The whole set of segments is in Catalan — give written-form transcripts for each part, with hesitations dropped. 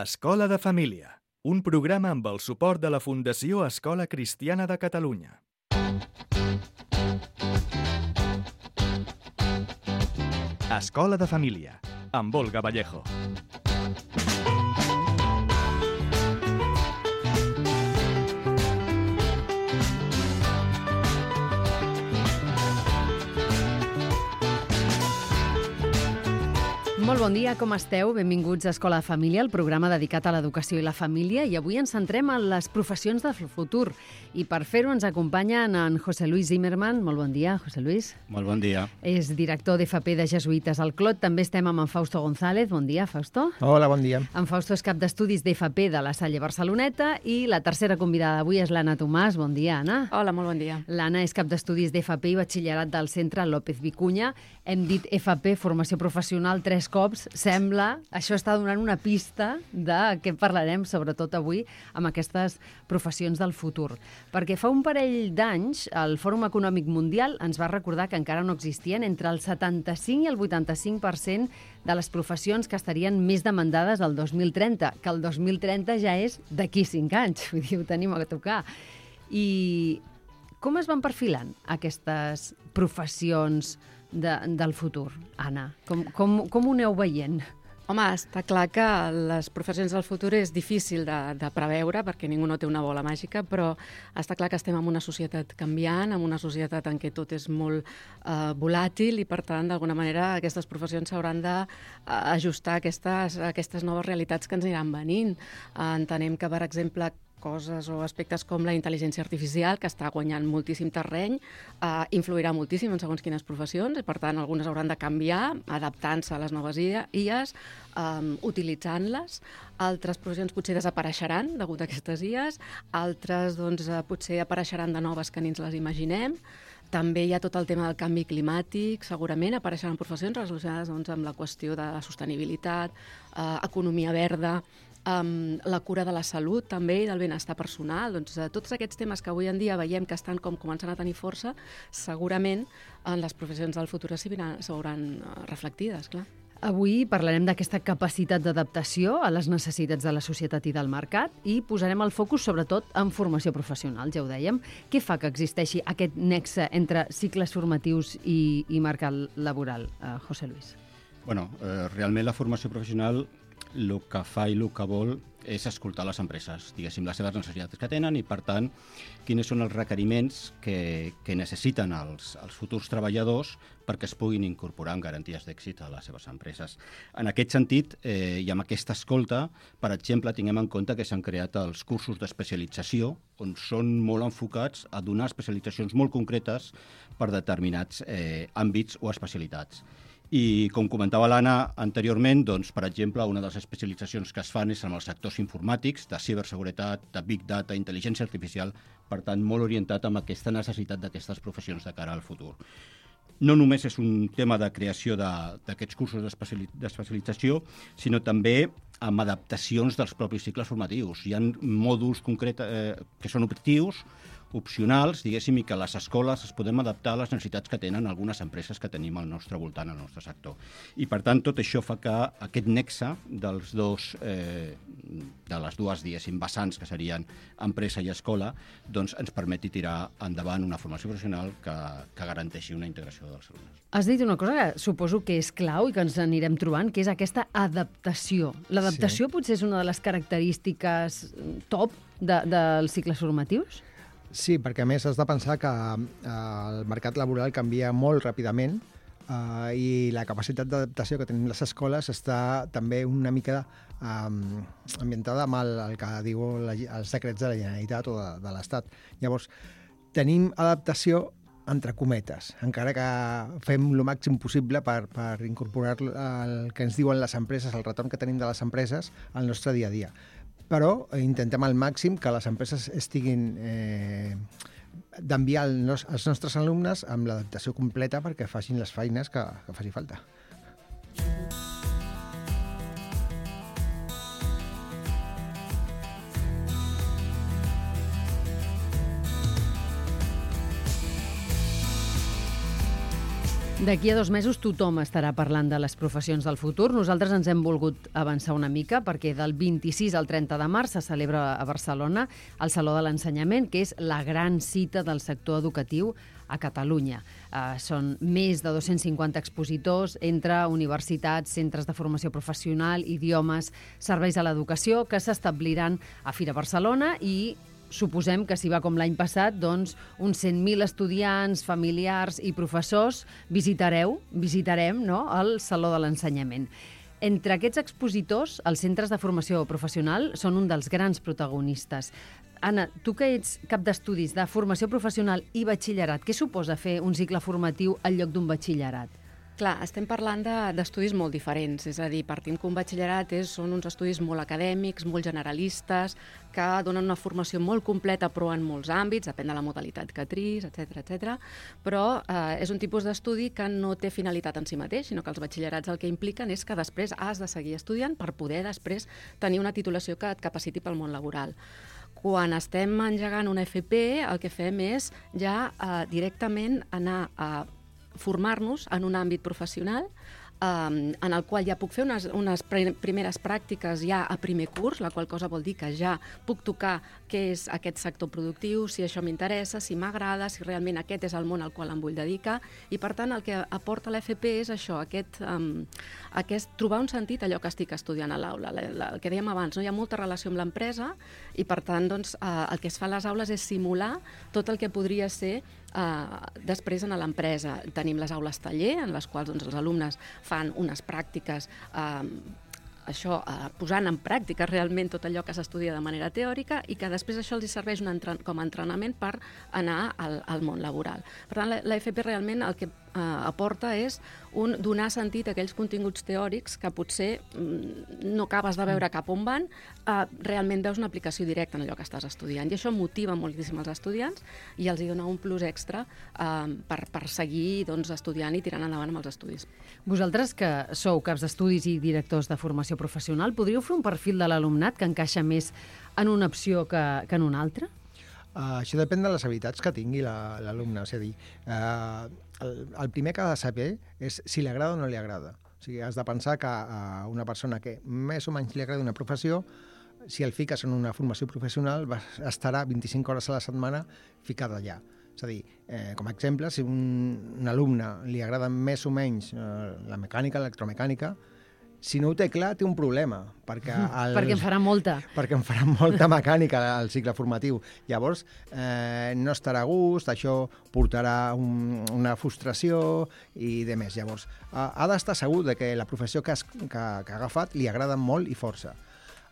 Escola de Família, un programa amb el suport de la Fundació Escola Cristiana de Catalunya. Escola de Família, amb Olga Vallejo. Molt bon dia, com esteu? Benvinguts a Escola de Família, el programa dedicat a l'educació i la família, i avui ens centrem en les professions del futur. I per fer-ho ens acompanyen en José Luis Zimmerman. Molt bon dia, José Luis. Molt bon dia. És director d'FP de Jesuïtes al Clot. També estem amb en Fausto González. Bon dia, Fausto. Hola, bon dia. En Fausto és cap d'estudis d'FP de la Salle Barceloneta i la tercera convidada d'avui és l'Anna Tomàs. Bon dia, Anna. Hola, molt bon dia. L'Anna és cap d'estudis d'FP i batxillerat del Centre López Vicuña. Hem dit FP, formació professional, 3 cops. Sembla, això està donant una pista de què parlarem, sobretot avui, amb aquestes professions del futur. Perquè fa un parell d'anys, el Fòrum Econòmic Mundial ens va recordar que encara no existien entre el 75 i el 85% de les professions que estarien més demandades el 2030, que el 2030 ja és d'aquí 5 anys, vull dir, ho tenim a tocar. I com es van perfilant aquestes professions del futur, Anna? Com ho aneu veient? Home, està clar que les professions del futur és difícil de preveure perquè ningú no té una bola màgica, però està clar que estem en una societat canviant, en una societat en què tot és molt volàtil i, per tant, d'alguna manera, aquestes professions s'hauran d'ajustar a aquestes noves realitats que ens aniran venint. Entenem que, per exemple, coses o aspectes com la intel·ligència artificial, que està guanyant moltíssim terreny, influirà moltíssim en segons quines professions, i per tant algunes hauran de canviar, adaptant-se a les noves IAs, utilitzant-les. Altres professions potser desapareixeran degut a aquestes IAs, altres potser apareixeran de noves que ni ens les imaginem. També hi ha tot el tema del canvi climàtic, segurament apareixeran professions relacionades amb la qüestió de la sostenibilitat, economia verda, la cura de la salut també i del benestar personal. Tots aquests temes que avui en dia veiem que estan començant a tenir força, segurament en les professions del futur s'hauran reflectides, clar. Avui parlarem d'aquesta capacitat d'adaptació a les necessitats de la societat i del mercat i posarem el focus sobretot en formació professional, ja ho dèiem. Què fa que existeixi aquest nexe entre cicles formatius i mercat laboral, José Luis? Bueno, realment la formació professional el que fa i el que vol és escoltar les empreses, diguéssim, les seves necessitats que tenen i, per tant, quins són els requeriments que necessiten els futurs treballadors perquè es puguin incorporar amb garanties d'èxit a les seves empreses. En aquest sentit, i amb aquesta escolta, per exemple, tinguem en compte que s'han creat els cursos d'especialització, on són molt enfocats a donar especialitzacions molt concretes per determinats àmbits o especialitats. I, com comentava l'Anna anteriorment, per exemple, una de les especialitzacions que es fan és en els sectors informàtics, de ciberseguretat, de big data, intel·ligència artificial, per tant, molt orientat amb aquesta necessitat d'aquestes professions de cara al futur. No només és un tema de creació d'aquests cursos d'especialització, sinó també amb adaptacions dels propis cicles formatius. Hi ha mòduls concrets que són opcionals, diguéssim, i que les escoles es podem adaptar a les necessitats que tenen algunes empreses que tenim al nostre voltant, al nostre sector. I, per tant, tot això fa que aquest nexe de les dues, diguéssim, vessants, que serien empresa i escola, ens permeti tirar endavant una formació professional que garanteixi una integració dels alumnes. Has dit una cosa que suposo que és clau i que ens anirem trobant, que és aquesta adaptació. L'adaptació potser és una de les característiques top dels cicles formatius? Sí, perquè a més has de pensar que el mercat laboral canvia molt ràpidament i la capacitat d'adaptació que tenim les escoles està també una mica ambientada amb el que diu els decrets de la Generalitat o de l'Estat. Llavors, tenim adaptació entre cometes, encara que fem el màxim possible per incorporar el que ens diuen les empreses, el retorn que tenim de les empreses al nostre dia a dia. Però intentem al màxim que les empreses estiguin d'enviar els nostres alumnes amb l'adaptació completa perquè facin les feines que faci falta. D'aquí a 2 mesos tothom estarà parlant de les professions del futur. Nosaltres ens hem volgut avançar una mica perquè del 26 al 30 de març se celebra a Barcelona el Saló de l'Ensenyament, que és la gran cita del sector educatiu a Catalunya. Són més de 250 expositors entre universitats, centres de formació professional, idiomes, serveis a l'educació, que s'establiran a Fira Barcelona i suposem que si va com l'any passat, doncs uns 100.000 estudiants, familiars i professors visitarem no, el Saló de l'Ensenyament. Entre aquests expositors, els centres de formació professional són un dels grans protagonistes. Anna, tu que ets cap d'estudis de formació professional i batxillerat, què suposa fer un cicle formatiu en lloc d'un batxillerat? Clar, estem parlant d'estudis molt diferents, és a dir, partim que un batxillerat són uns estudis molt acadèmics, molt generalistes, que donen una formació molt completa però en molts àmbits, depèn de la modalitat que tris, etc. Però és un tipus d'estudi que no té finalitat en si mateix, sinó que els batxillerats el que impliquen és que després has de seguir estudiant per poder després tenir una titulació que et capaciti pel món laboral. Quan estem engegant una FP, el que fem és ja directament anar a formar-nos en un àmbit professional en el qual ja puc fer unes primeres pràctiques ja a primer curs, la qual cosa vol dir que ja puc tocar què és aquest sector productiu, si això m'interessa, si m'agrada, si realment aquest és el món al qual em vull dedicar, i per tant el que aporta l'FP és això, aquest trobar un sentit a allò que estic estudiant a l'aula. El que dèiem abans, no hi ha molta relació amb l'empresa i per tant doncs, el que es fa a les aules és simular tot el que podria ser després a l'empresa. Tenim les aules taller, en les quals doncs, els alumnes fan unes pràctiques posant en pràctica realment tot allò que s'estudia de manera teòrica i que després això els serveix com a entrenament per anar al món laboral. Per tant, l'FP realment el que aporta és donar sentit a aquells continguts teòrics que potser no acabes de veure cap on van, realment veus una aplicació directa en allò que estàs estudiant. I això motiva moltíssim els estudiants i els dona un plus extra per seguir estudiant i tirant endavant amb els estudis. Vosaltres, que sou caps d'estudis i directors de formació professional, podríeu fer un perfil de l'alumnat que encaixa més en una opció que en una altra? Això depèn de les habilitats que tingui l'alumne. És a dir, el primer que ha de saber és si li agrada o no li agrada. O sigui, has de pensar que a una persona que més o menys li agrada una professió, si el fiques en una formació professional, estarà 25 hores a la setmana ficada allà. És a dir, com a exemple, si un alumne li agrada més o menys la mecànica, l'electromecànica, si no ho té clar, té un problema. Perquè en farà molta. Perquè en farà molta mecànica al cicle formatiu. Llavors, no estarà a gust, això portarà una frustració i de més. Llavors, ha d'estar segur de que la professió que ha agafat li agrada molt i força.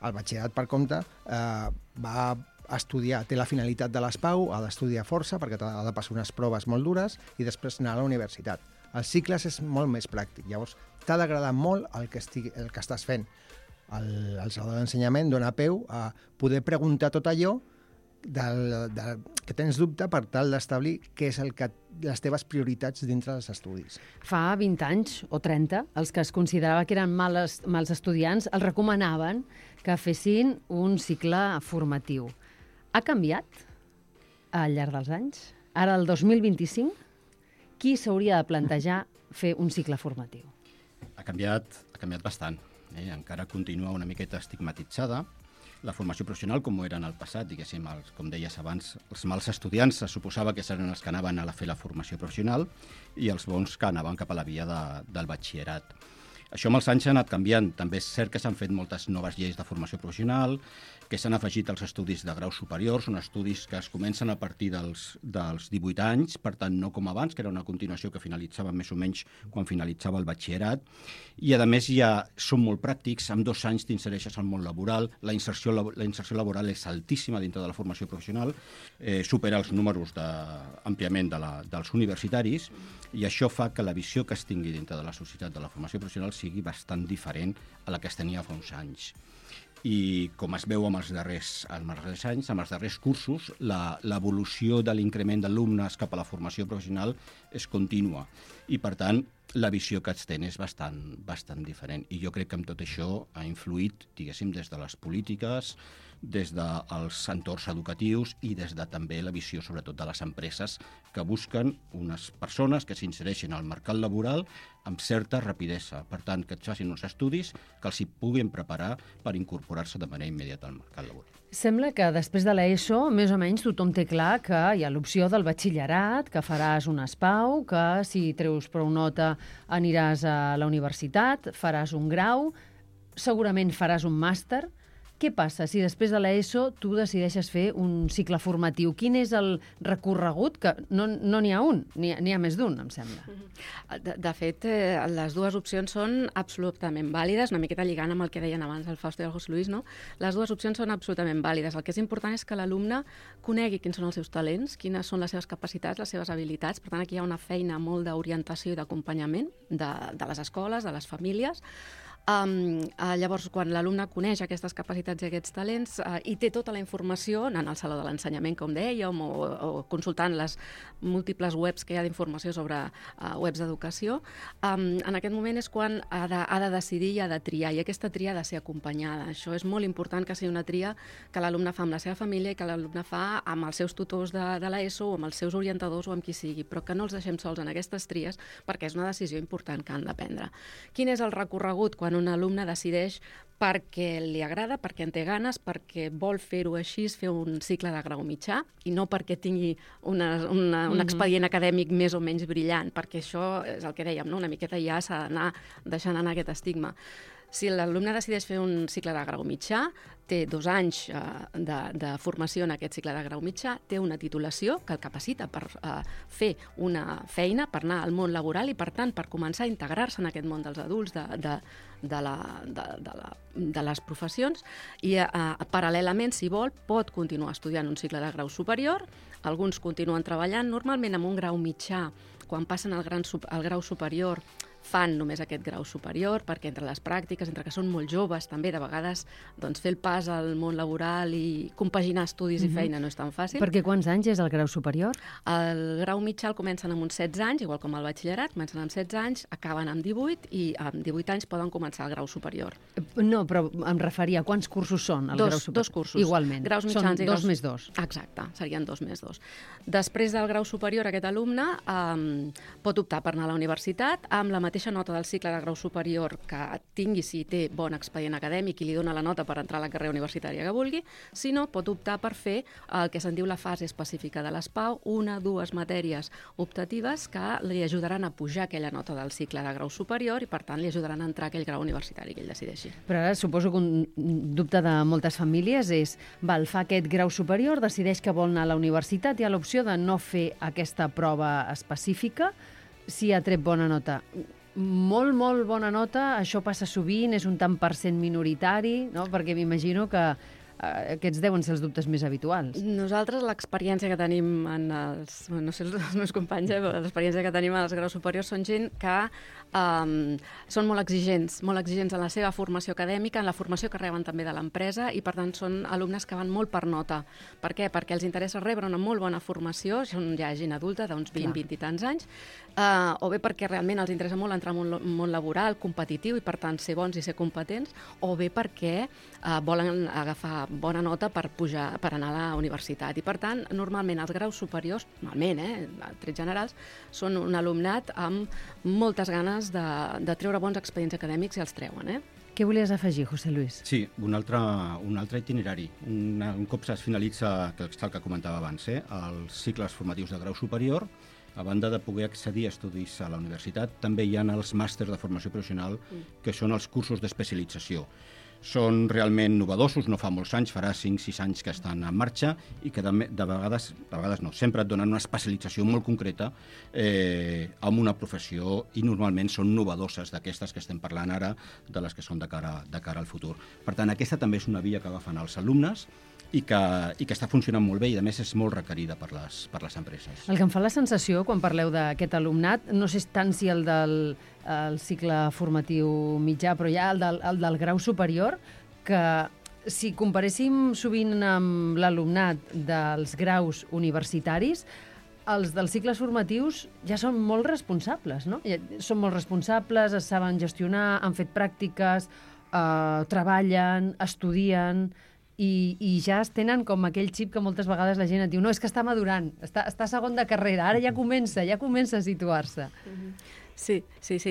El batxillerat, per compte, va estudiar, té la finalitat de l'ESPAU, ha d'estudiar força perquè ha de passar unes proves molt dures i després anar a la universitat. Els cicles és molt més pràctic. Llavors, t'ha d'agradar molt el que estàs fent. El Saló de l'Ensenyament dona peu a poder preguntar tot allò que tens dubte per tal d'establir què és les teves prioritats dintre dels estudis. Fa 20 anys o 30, els que es considerava que eren mals estudiants els recomanaven que fessin un cicle formatiu. Ha canviat al llarg dels anys? Ara, el 2025, qui s'hauria de plantejar fer un cicle formatiu? Ha canviat bastant. Encara continua una miqueta estigmatitzada. La formació professional, com ho era en el passat, diguéssim, com deies abans, els mals estudiants se suposava que eren els que anaven a fer la formació professional i els bons que anaven cap a la via del batxillerat. Això amb els anys ha anat canviant. També és cert que s'han fet moltes noves lleis de formació professional, que s'han afegit als estudis de graus superiors, són estudis que es comencen a partir dels 18 anys, per tant no com abans, que era una continuació que finalitzava més o menys quan finalitzava el batxillerat, i a més ja són molt pràctics, amb 2 anys t'insereixes al món laboral, la inserció laboral és altíssima dintre de la formació professional, supera els números àmpliament dels universitaris, i això fa que la visió que es tingui dintre de la societat de la formació professional sigui bastant diferent a la que es tenia fa uns anys. I com es veu amb els darrers anys, amb els darrers cursos, l'evolució de l'increment d'alumnes cap a la formació professional és contínua. I, per tant, la visió que es té és bastant diferent. I jo crec que amb tot això ha influït, diguéssim, des de les polítiques, des dels entorns educatius i des de també la visió, sobretot, de les empreses que busquen unes persones que s'insereixin al mercat laboral amb certa rapidesa. Per tant, que et facin uns estudis que els hi puguin preparar per incorporar-se de manera immediata al mercat laboral. Sembla que després de l'ESO, més o menys tothom té clar que hi ha l'opció del batxillerat, que faràs un ESPAU, que si treus prou nota aniràs a la universitat, faràs un grau, segurament faràs un màster. Què passa si després de l'ESO tu decideixes fer un cicle formatiu? Quin és el recorregut? Que no n'hi ha un, n'hi ha més d'un, em sembla. De fet, les dues opcions són absolutament vàlides, una miqueta lligant amb el que deien abans el Fausto i el José Luis, no? Les dues opcions són absolutament vàlides. El que és important és que l'alumne conegui quins són els seus talents, quines són les seves capacitats, les seves habilitats. Per tant, aquí hi ha una feina molt d'orientació i d'acompanyament de les escoles, de les famílies. Llavors, quan l'alumne coneix aquestes capacitats i aquests talents i té tota la informació, anant al saló de l'ensenyament, com dèiem, o consultant les múltiples webs que hi ha d'informació sobre webs d'educació, en aquest moment és quan ha de decidir i ha de triar, i aquesta tria ha de ser acompanyada. Això és molt important, que sigui una tria que l'alumne fa amb la seva família i que l'alumne fa amb els seus tutors de l'ESO o amb els seus orientadors o amb qui sigui, però que no els deixem sols en aquestes tries perquè és una decisió important que han de prendre. Quin és el recorregut quan un alumne decideix perquè li agrada, perquè en té ganes, perquè vol fer-ho així, fer un cicle de grau mitjà, i no perquè tingui un expedient acadèmic més o menys brillant, perquè això és el que dèiem, no? Una miqueta ja s'ha d'anar deixant anar aquest estigma. Si l'alumne decideix fer un cicle de grau mitjà, té 2 anys de formació en aquest cicle de grau mitjà, té una titulació que el capacita per fer una feina, per anar al món laboral i, per tant, per començar a integrar-se en aquest món dels adults, de les professions, i paral·lelament, si vol, pot continuar estudiant un cicle de grau superior. Alguns continuen treballant, normalment amb un grau mitjà. Quan passen al grau superior fan només aquest grau superior, perquè entre les pràctiques, entre que són molt joves, també de vegades doncs, fer el pas al món laboral i compaginar estudis i feina no és tan fàcil. Perquè quants anys és el grau superior? El grau mitjà el comencen amb uns 16 anys, igual com el batxillerat, comencen amb 16 anys, acaben amb 18 i amb 18 anys poden començar el grau superior. No, però em referia a quants cursos són el grau superior? Dos cursos. Igualment. Graus mitjans són i 2 més 2. Exacte, serien 2 més 2. Després del grau superior, aquest alumne pot optar per anar a la universitat amb la mateixa nota del cicle de grau superior que tingui si té bon expedient acadèmic i li dona la nota per entrar a la carrera universitària que vulgui, si no, pot optar per fer el que se'n diu la fase específica de l'ESPAU, 1 o 2 matèries optatives que li ajudaran a pujar aquella nota del cicle de grau superior i, per tant, li ajudaran a entrar a aquell grau universitari que ell decideixi. Però ara suposo que un dubte de moltes famílies és, fa aquest grau superior, decideix que vol anar a la universitat, hi ha l'opció de no fer aquesta prova específica si ha tret bona nota. Molt bona nota, això passa sovint, és un tant % minoritari, no? Perquè m'imagino que aquests deuen ser els dubtes més habituals. Nosaltres l'experiència que tenim en els... No sé, els meus companys, però l'experiència que tenim en els graus superiors són gent que són molt exigents en la seva formació acadèmica, en la formació que reben també de l'empresa i, per tant, són alumnes que van molt per nota. Per què? Perquè els interessa rebre una molt bona formació, són ja gent adulta d'uns 20 i tants anys, o bé perquè realment els interessa molt entrar en un món laboral, competitiu, i per tant ser bons i ser competents, o bé perquè volen agafar bona nota per pujar, per anar a la universitat. I per tant, normalment els graus superiors, normalment, trets generals, són un alumnat amb moltes ganes de treure bons expedients acadèmics i els treuen. Què volies afegir, José Luis? Sí, un altre itinerari. Un cop es finalitza, que és el que comentava abans, els cicles formatius de grau superior, a banda de poder accedir a estudis a la universitat, també hi ha els màsters de formació professional, que són els cursos d'especialització. Són realment novedosos, no fa molts anys, farà 5-6 anys que estan en marxa i que de vegades no, sempre et donen una especialització molt concreta amb una professió i normalment són novedoses d'aquestes que estem parlant ara, de les que són de cara al futur. Per tant, aquesta també és una via que agafen els alumnes i que està funcionant molt bé i, a més, és molt requerida per les empreses. El que em fa la sensació, quan parleu d'aquest alumnat, no sé tant si el del cicle formatiu mitjà, però ja el del grau superior, que si comparéssim sovint amb l'alumnat dels graus universitaris, els dels cicles formatius ja són molt responsables, no? Són molt responsables, es saben gestionar, han fet pràctiques, treballen, estudien i ja es tenen com aquell xip que moltes vegades la gent et diu no, és que està madurant, està segon de carrera, ara ja comença a situar-se. Sí,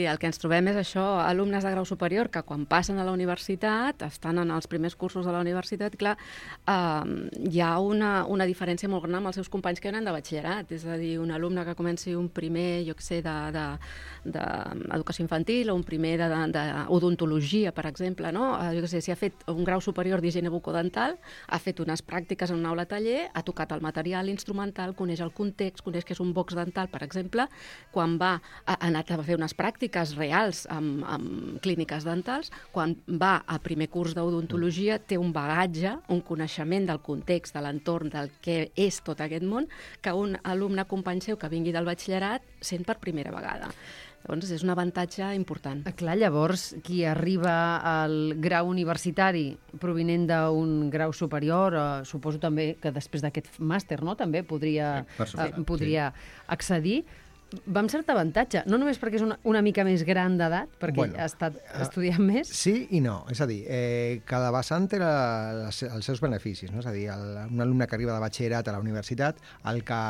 el que ens trobem és això, alumnes de grau superior que quan passen a la universitat, estan en els primers cursos de la universitat, clar, hi ha una diferència molt gran amb els seus companys que venen de batxillerat, és a dir, un alumne que comenci un primer, jo què sé, d'educació infantil o un primer d'odontologia, per exemple, no? Jo què sé, si ha fet un grau superior d'higiene bucodental, ha fet unes pràctiques en una aula taller, ha tocat el material instrumental, coneix el context, coneix que és un box dental, per exemple, quan ha anat a fer unes pràctiques reals amb clíniques dentals, quan va a primer curs d'odontologia té un bagatge, un coneixement del context, de l'entorn, del que és tot aquest món, que un alumne company seu que vingui del batxillerat sent per primera vegada. Llavors, és un avantatge important. Clar, llavors, qui arriba al grau universitari provinent d'un grau superior, suposo també que després d'aquest màster, no?, també podria accedir, va amb cert avantatge, no només perquè és una mica més gran d'edat, perquè ha estat estudiant més. Sí i no, és a dir, cada vessant té els seus beneficis, no? És a dir, un alumne que arriba de batxillerat a la universitat, el que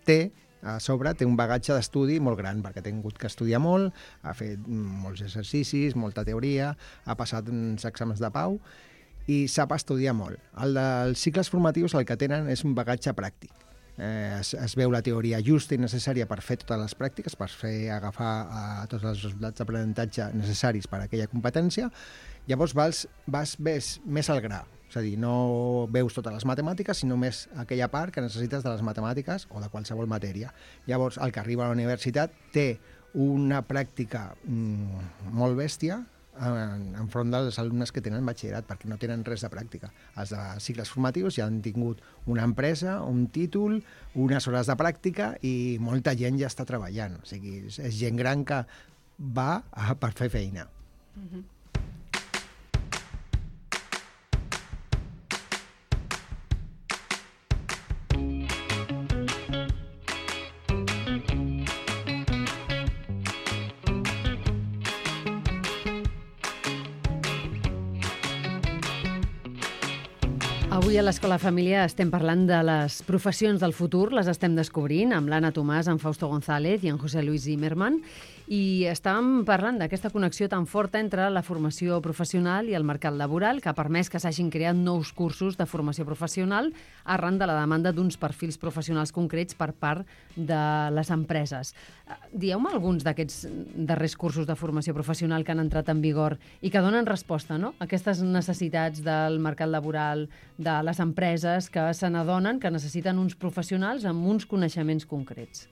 té a sobre té un bagatge d'estudi molt gran, perquè ha tingut que estudiar molt, ha fet molts exercicis, molta teoria, ha passat uns exàmens de pau i sap estudiar molt. El dels cicles formatius el que tenen és un bagatge pràctic. Es veu la teoria justa i necessària per fer totes les pràctiques, per agafar tots els resultats d'aprenentatge necessaris per a aquella competència. Llavors vas més al gra, és a dir, no veus totes les matemàtiques, sinó més aquella part que necessites de les matemàtiques o de qualsevol matèria. Llavors, el que arriba a la universitat té una pràctica molt bèstia enfront dels alumnes que tenen batxillerat, perquè no tenen res de pràctica. Els de cicles formatius ja han tingut una empresa, un títol, unes hores de pràctica i molta gent ja està treballant. O sigui, és gent gran que va per fer feina. Avui a l'Escola Família estem parlant de les professions del futur, les estem descobrint amb l'Anna Tomàs, en Fausto González i en José Luis Zimmerman, i estàvem parlant d'aquesta connexió tan forta entre la formació professional i el mercat laboral, que ha permès que s'hagin creat nous cursos de formació professional arran de la demanda d'uns perfils professionals concrets per part de les empreses. Dieu-me alguns d'aquests darrers cursos de formació professional que han entrat en vigor i que donen resposta, no?, a aquestes necessitats del mercat laboral, de les empreses que se n'adonen que necessiten uns professionals amb uns coneixements concrets.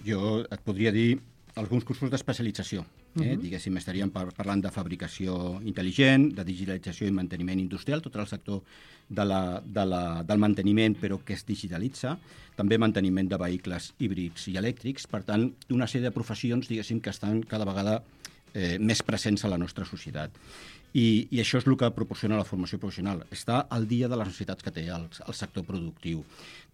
Jo et podria dir alguns cursos d'especialització. Diguéssim, estaríem parlant de fabricació intel·ligent, de digitalització i manteniment industrial, tot el sector del manteniment, però que es digitalitza, també manteniment de vehicles híbrids i elèctrics, per tant, una sèrie de professions, diguéssim, que estan cada vegada més presents a la nostra societat. I això és el que proporciona la formació professional. Està al dia de les necessitats que té el sector productiu.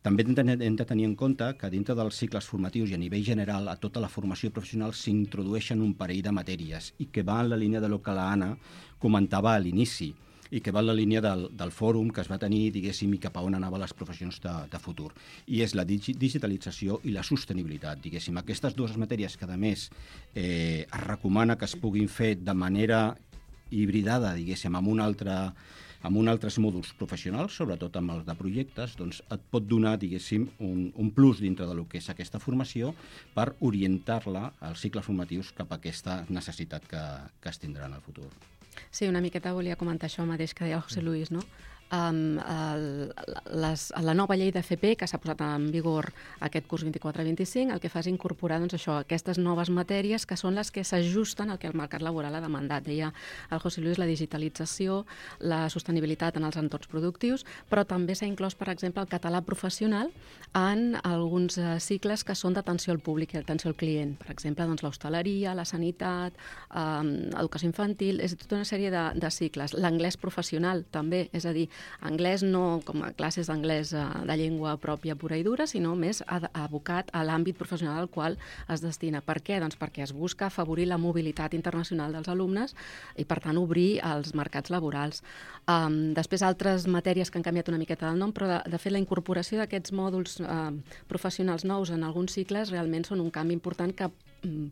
També hem de tenir en compte que dintre dels cicles formatius i a nivell general a tota la formació professional s'introdueixen un parell de matèries i que va en la línia del que l'Anna comentava a l'inici i que va en la línia del fòrum que es va tenir, diguéssim, i cap a on anaven les professions de futur. I és la digitalització i la sostenibilitat, diguéssim. Aquestes dues matèries que, a més, es recomana que es puguin fer de manera hibridada, diguéssim, amb altres mòduls professionals, sobretot amb els de projectes, doncs et pot donar, diguéssim, un plus dintre del que és aquesta formació per orientar-la als cicles formatius cap a aquesta necessitat que es tindrà en el futur. Sí, una miqueta volia comentar això mateix que deia el José Luis, no? La nova llei d'FP que s'ha posat en vigor aquest curs 24-25 el que fa és incorporar aquestes noves matèries que són les que s'ajusten al que el mercat laboral ha demandat. Deia el José Luis la digitalització, la sostenibilitat en els entorns productius, però també s'ha inclòs, per exemple, el català professional en alguns cicles que són d'atenció al públic i d'atenció al client. Per exemple, l'hostaleria, la sanitat, educació infantil, és tota una sèrie de cicles. L'anglès professional també, és a dir, anglès no com a classes d'anglès de llengua pròpia pura i dura, sinó més abocat a l'àmbit professional al qual es destina. Per què? Doncs perquè es busca afavorir la mobilitat internacional dels alumnes i, per tant, obrir els mercats laborals. Després, altres matèries que han canviat una miqueta del nom, però de fet la incorporació d'aquests mòduls professionals nous en alguns cicles realment són un canvi important que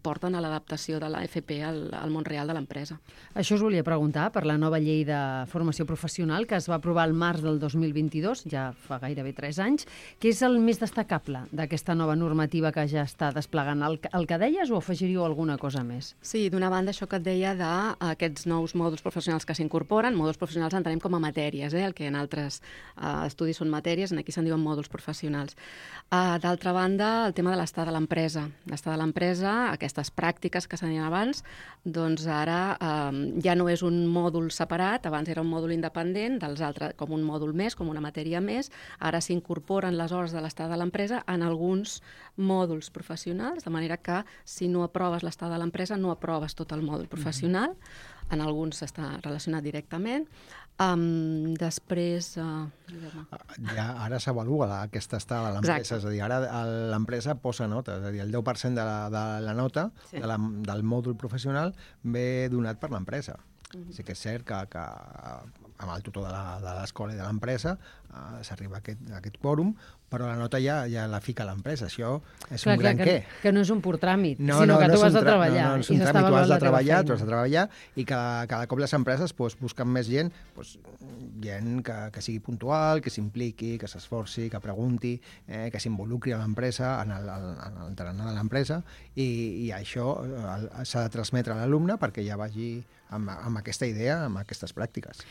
porten a l'adaptació de la FP al món real de l'empresa. Això us volia preguntar per la nova llei de formació professional que es va aprovar al març del 2022, ja fa gairebé 3 anys. Què és el més destacable d'aquesta nova normativa que ja està desplegant? El que deies o afegiríeu alguna cosa més? Sí, d'una banda, això que et deia d'aquests nous mòduls professionals que s'incorporen. Mòduls professionals entenem com a matèries, el que en altres estudis són matèries, aquí se'n diuen mòduls professionals. D'altra banda, el tema de l'estat de l'empresa. L'estat de l'empresa, aquestes pràctiques que s'han dit abans, doncs ara ja no és un mòdul separat, abans era un mòdul independent, dels altres com un mòdul més, com una matèria més, ara s'incorporen les hores de l'estat de l'empresa en alguns mòduls professionals, de manera que si no aproves l'estat de l'empresa no aproves tot el mòdul professional, en alguns està relacionat directament. Després... Ja ara s'avalua aquesta estada de l'empresa, és a dir, ara l'empresa posa nota, és a dir, el 10% de la nota del mòdul professional ve donat per l'empresa. Sí que és cert que amb el tutor de l'escola i de l'empresa s'arriba a aquest quòrum, però la nota ja la fica l'empresa. Això és un gran què. Que no és un pur tràmit, sinó que tu has de treballar. No és un tràmit, tu has de treballar, i cada cop les empreses busquen més gent, gent que sigui puntual, que s'impliqui, que s'esforci, que pregunti, que s'involucri a l'empresa, en el tarannà de l'empresa, i això s'ha de transmetre a l'alumne perquè ja vagi amb aquesta idea, amb aquestes pràctiques.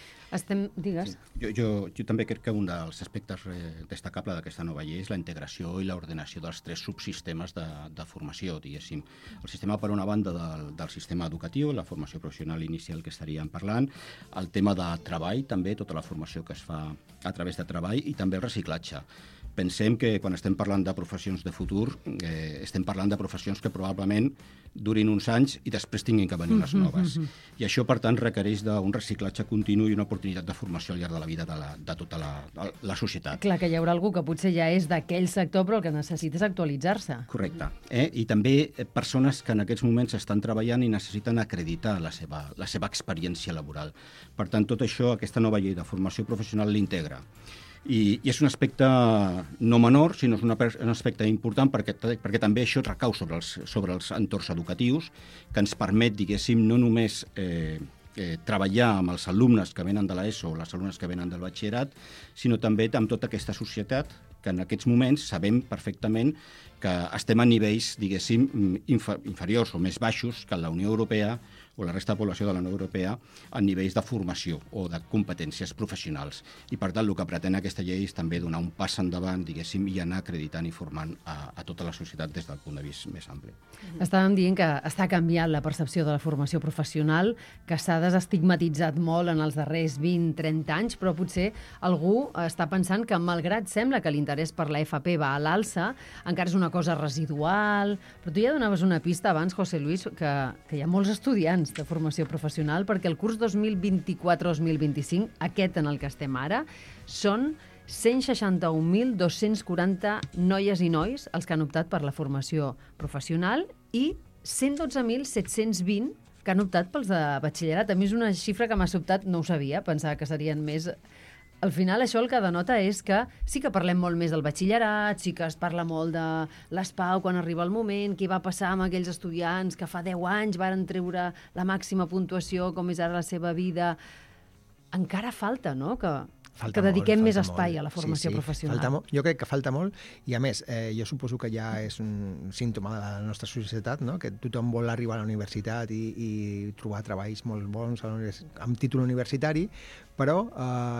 Digues. Sí. Jo també crec que un dels aspectes destacables d'aquesta nova llei és la integració i l'ordenació dels 3 subsistemes de formació, diguéssim. El sistema, per una banda, del sistema educatiu, la formació professional inicial que estaríem parlant, el tema de treball, també, tota la formació que es fa a través de treball, i també el reciclatge. Pensem que quan estem parlant de professions de futur, estem parlant de professions que probablement durin uns anys i després tinguin que venir unes noves. I això, per tant, requereix d'un reciclatge continu i una oportunitat de formació al llarg de la vida de tota la societat. Clar, que hi haurà algú que potser ja és d'aquell sector, però el que necessita és actualitzar-se. Correcte. I també persones que en aquests moments estan treballant i necessiten acreditar la seva experiència laboral. Per tant, tot això, aquesta nova llei de formació professional l'integra. I és un aspecte no menor, sinó és un aspecte important perquè també això recau sobre els entorns educatius, que ens permet, diguéssim, no només treballar amb els alumnes que venen de l'ESO o les alumnes que venen del batxillerat, sinó també amb tota aquesta societat que en aquests moments sabem perfectament que estem a nivells, diguéssim, inferiors o més baixos que la Unió Europea o la resta de població de la Unió Europea a nivells de formació o de competències professionals. I, per tant, el que pretén aquesta llei és també donar un pas endavant, diguéssim, i anar acreditant i formant a tota la societat des del punt de vista més ampli. Estàvem dient que està canviant la percepció de la formació professional, que s'ha desestigmatitzat molt en els darrers 20-30 anys, però potser algú està pensant que, malgrat sembla que l'interès per la FP va a l'alça, encara és una cosa residual. Però tu ja donaves una pista abans, José Luis, que hi ha molts estudiants de formació professional, perquè el curs 2024-2025, aquest en el que estem ara, són 161.240 noies i nois els que han optat per la formació professional i 112.720 que han optat pels de batxillerat. A mi és una xifra que m'ha sobtat, no ho sabia, pensava que serien més. Al final, això el que denota és que sí que parlem molt més del batxillerat, sí que es parla molt de l'ESPAU quan arriba el moment, què va passar amb aquells estudiants que fa 10 anys varen treure la màxima puntuació, com és ara la seva vida. Encara falta, no?, que dediquem més espai a la formació professional. Jo crec que falta molt, i a més, jo suposo que ja és un símptoma de la nostra societat, no?, que tothom vol arribar a la universitat i trobar treballs molt bons amb títol universitari, però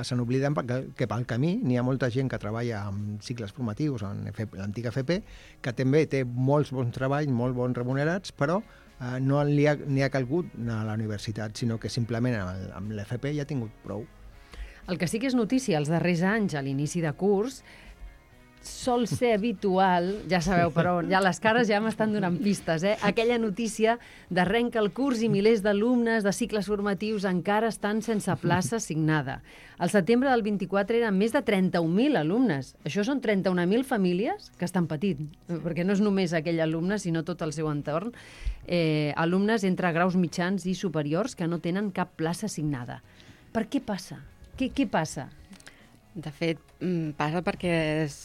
se n'obliden que pel camí n'hi ha molta gent que treballa amb cicles formatius, en l'antiga FP, que també té molts bons treballs, molt bons remunerats, però no li ha calgut anar a la universitat, sinó que simplement amb l'FP ja ha tingut prou. El que sí que és notícia els darrers anys, a l'inici de curs, sol ser habitual, ja sabeu per on, ja les cares ja m'estan donant pistes, aquella notícia d'arrenca el curs i milers d'alumnes de cicles formatius encara estan sense plaça assignada. Al setembre del 24 eren més de 31.000 alumnes. Això són 31.000 famílies que estan patint, perquè no és només aquell alumne, sinó tot el seu entorn. Alumnes entre graus mitjans i superiors que no tenen cap plaça assignada. Per què passa? Què passa? De fet, passa perquè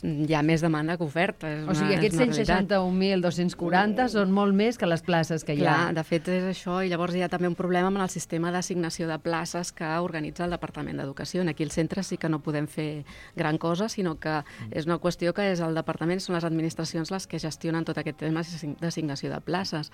hi ha més demanda que oferta. O sigui, aquests 161.240 són molt més que les places que hi ha. Clar, de fet és això, i llavors hi ha també un problema amb el sistema d'assignació de places que organitza el Departament d'Educació. Aquí al centre sí que no podem fer gran cosa, sinó que és una qüestió que és el Departament, són les administracions les que gestionen tot aquest tema d'assignació de places.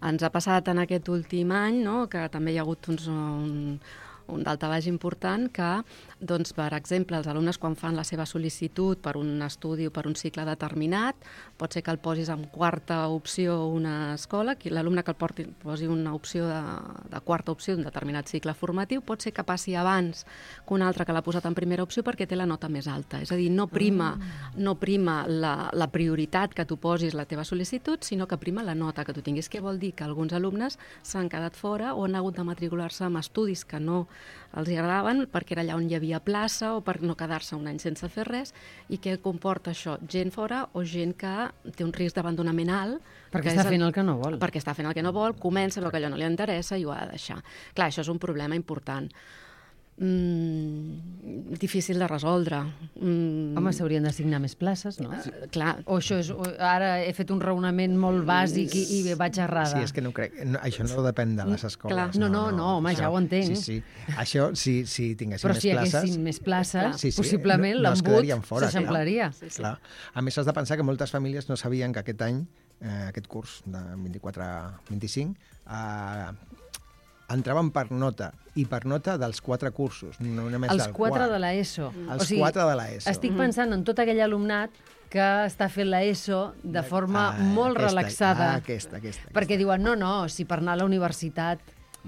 Ens ha passat en aquest últim any, no?, que també hi ha hagut un daltabaix important que, doncs, per exemple, els alumnes quan fan la seva sol·licitud per un estudi o per un cicle determinat, pot ser que el posis en quarta opció una escola, l'alumne que el posi una opció de quarta opció d'un determinat cicle formatiu, pot ser que passi abans que un altre que l'ha posat en primera opció perquè té la nota més alta. És a dir, no prima la prioritat que tu posis la teva sol·licitud, sinó que prima la nota que tu tinguis. Què vol dir? Que alguns alumnes s'han quedat fora o han hagut de matricular-se en estudis que no els agradaven perquè era allà on hi havia plaça o per no quedar-se un any sense fer res. I què comporta això? Gent fora o gent que té un risc d'abandonament alt. Perquè està fent el que no vol. Perquè està fent el que no vol, comença, veu que allò no li interessa i ho ha de deixar. Clar, això és un problema important. Difícil de resoldre. Home, s'haurien d'assignar més places, no? Clar. O això és... Ara he fet un raonament molt bàsic i vaig errada. Sí, és que no crec... Això no depèn de les escoles. No, home, això, ja ho entenc. Sí. Això, si tinguéssim més places... Però si haguessin més places, possiblement l'embut s'eixamplaria. Clar. A més, has de pensar que moltes famílies no sabien que aquest any, aquest curs de 24-25, entraven per nota, i per nota dels 4 cursos, no només els del 4 de l'ESO. Els 4 de l'ESO. Estic pensant en tot aquell alumnat que està fent l'ESO de forma molt relaxada. Aquesta. Perquè diuen, no, si per anar a la universitat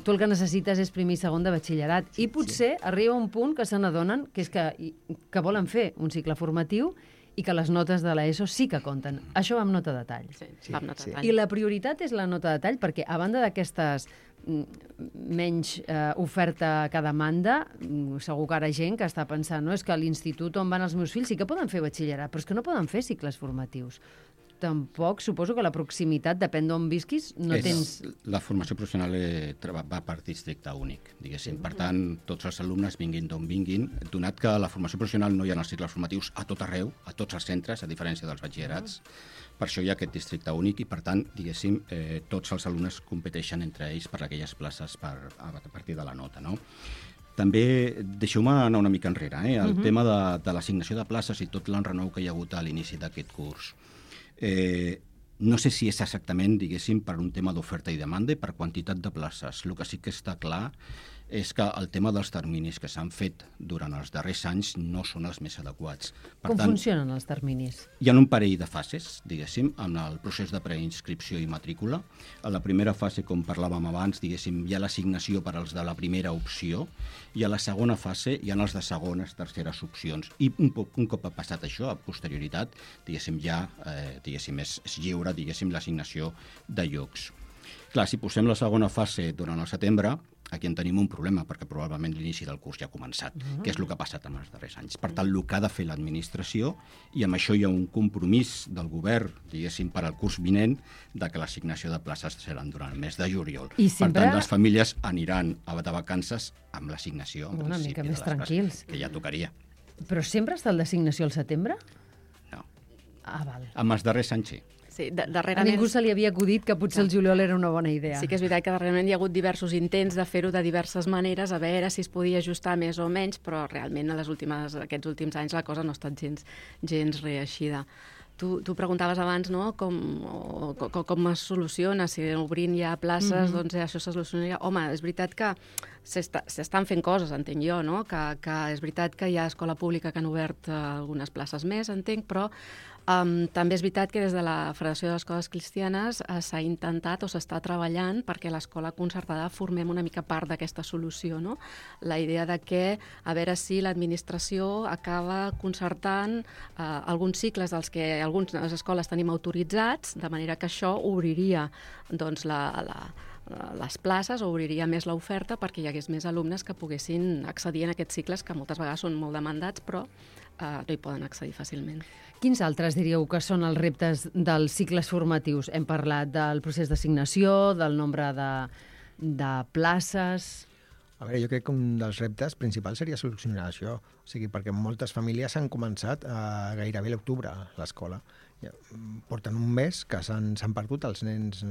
tu el que necessites és primer i segon de batxillerat. I potser arriba un punt que se n'adonen que és que volen fer un cicle formatiu i que les notes de l'ESO sí que compten. Això va amb nota de tall. Sí, va amb nota de tall. I la prioritat és la nota de tall, perquè a banda d'aquestes menys oferta que demanda, segur que ara gent que està pensant, no, és que a l'institut on van els meus fills sí que poden fer batxillerat, però és que no poden fer cicles formatius. Tampoc, suposo que la proximitat, depèn d'on visquis, no tens... La formació professional va per districte únic, diguéssim. Per tant, tots els alumnes vinguin d'on vinguin, donat que la formació professional no hi ha els cicles formatius a tot arreu, a tots els centres, a diferència dels batxillerats. Per això hi ha aquest districte únic i, per tant, diguéssim, tots els alumnes competeixen entre ells per aquelles places a partir de la nota, no? També, deixeu-me anar una mica enrere, el tema de l'assignació de places i tot l'enrenou que hi ha hagut a l'inici d'aquest curs. No sé si és exactament, diguéssim, per un tema d'oferta i demanda i per quantitat de places. El que sí que està clar és que el tema dels terminis que s'han fet durant els darrers anys no són els més adequats. Com funcionen els terminis? Hi ha un parell de fases, diguéssim, en el procés de preinscripció i matrícula. A la primera fase, com parlàvem abans, diguéssim, hi ha l'assignació per als de la primera opció, i a la segona fase hi ha els de segones, terceres opcions. I un cop ha passat això, a posterioritat, diguéssim, ja és lliure, diguéssim, l'assignació de llocs. Clar, si posem la segona fase durant el setembre, aquí en tenim un problema, perquè probablement l'inici del curs ja ha començat, que és el que ha passat en els darrers anys. Per tant, el que ha de fer l'administració, i amb això hi ha un compromís del govern, diguéssim, per al curs vinent, de que l'assignació de places seran durant el mes de juliol. Per tant, les famílies aniran de vacances amb l'assignació, en principi, de les places, que ja tocaria. Però sempre està el d'assignació al setembre? No. Ah, val. Amb els darrers anys, sí. Sí, a ningú se li havia acudit que potser el juliol era una bona idea. Sí que és veritat que darrerament hi ha hagut diversos intents de fer-ho de diverses maneres, a veure si es podia ajustar més o menys, però realment aquests últims anys la cosa no ha estat gens reeixida. Tu preguntaves abans, no?, com es soluciona, si obrint ja places, doncs això se solucionaria. Home, és veritat que s'estan fent coses, entenc jo, no?, que és veritat que hi ha escola pública que han obert algunes places més, entenc, però També és veritat que des de la Federació d'Escoles Cristianes s'ha intentat o s'està treballant perquè l'escola concertada formem una mica part d'aquesta solució, no? La idea de que, a veure si l'administració acaba concertant alguns cicles dels que algunes escoles tenim autoritzats, de manera que això obriria doncs, les places, obriria més l'oferta perquè hi hagués més alumnes que poguessin accedir en aquests cicles que moltes vegades són molt demandats, però no hi poden accedir fàcilment. Quins altres diríeu que són els reptes dels cicles formatius? Hem parlat del procés d'assignació, del nombre de places... A veure, jo crec que un dels reptes principals seria solucionar això. O sigui, perquè moltes famílies han començat gairebé a l'octubre a l'escola. Porten un mes que s'han perdut els nens.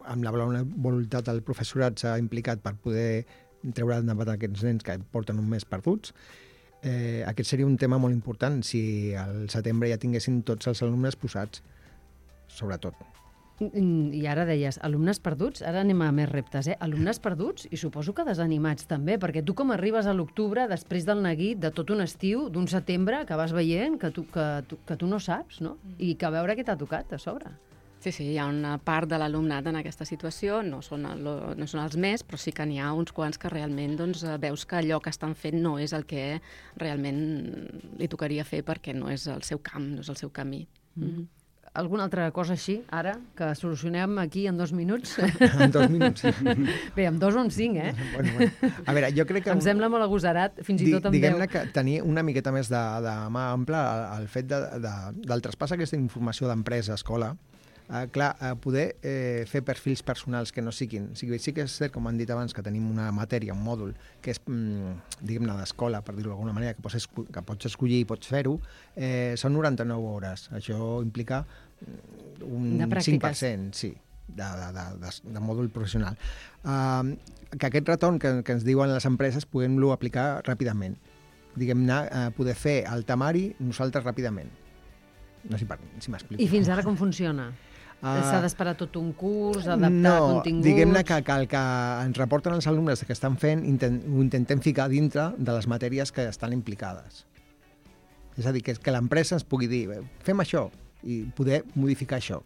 Amb la bona voluntat del professorat s'ha implicat per poder treure endavant aquests nens que porten un mes perduts. Aquest seria un tema molt important si al setembre ja tinguessin tots els alumnes posats, sobretot. I ara deies, alumnes perduts, ara anem a més reptes, alumnes perduts i suposo que desanimats també, perquè tu com arribes a l'octubre després del neguit de tot un estiu, d'un setembre que vas veient que tu no saps, no? I que a veure què t'ha tocat a sobre. Sí, hi ha una part de l'alumnat en aquesta situació, no són els més, però sí que n'hi ha uns quants que realment doncs, veus que allò que estan fent no és el que realment li tocaria fer perquè no és el seu camp, no és el seu camí. Alguna altra cosa així, ara, que solucionem aquí en 2 minuts? En 2 minuts, sí. Bé, en 2 o en 5, Bueno. A veure, jo crec que... Em sembla molt agosarat, fins i tot en 10. Diguem-ne que tenir una miqueta més de mà ampla el fet del traspàs aquesta informació d'empresa a escola, poder fer perfils personals que no siguin. Sí que és cert, com han dit abans, que tenim una matèria, un mòdul, que és, diguem-ne, d'escola, per dir-ho d'alguna manera, que pots escollir i pots fer-ho. Són 99 hores. Això implica un 5%, sí, de mòdul professional. Que aquest retorn que ens diuen les empreses puguem-lo aplicar ràpidament. Diguem-ne, poder fer el temari nosaltres ràpidament. No sé si m'explico. I fins ara com funciona? S'ha d'esperar tot un curs, adaptar continguts... No, diguem-ne que el que ens reporten els alumnes que estan fent ho intentem ficar dintre de les matèries que estan implicades. És a dir, que l'empresa ens pugui dir fem això i poder modificar això.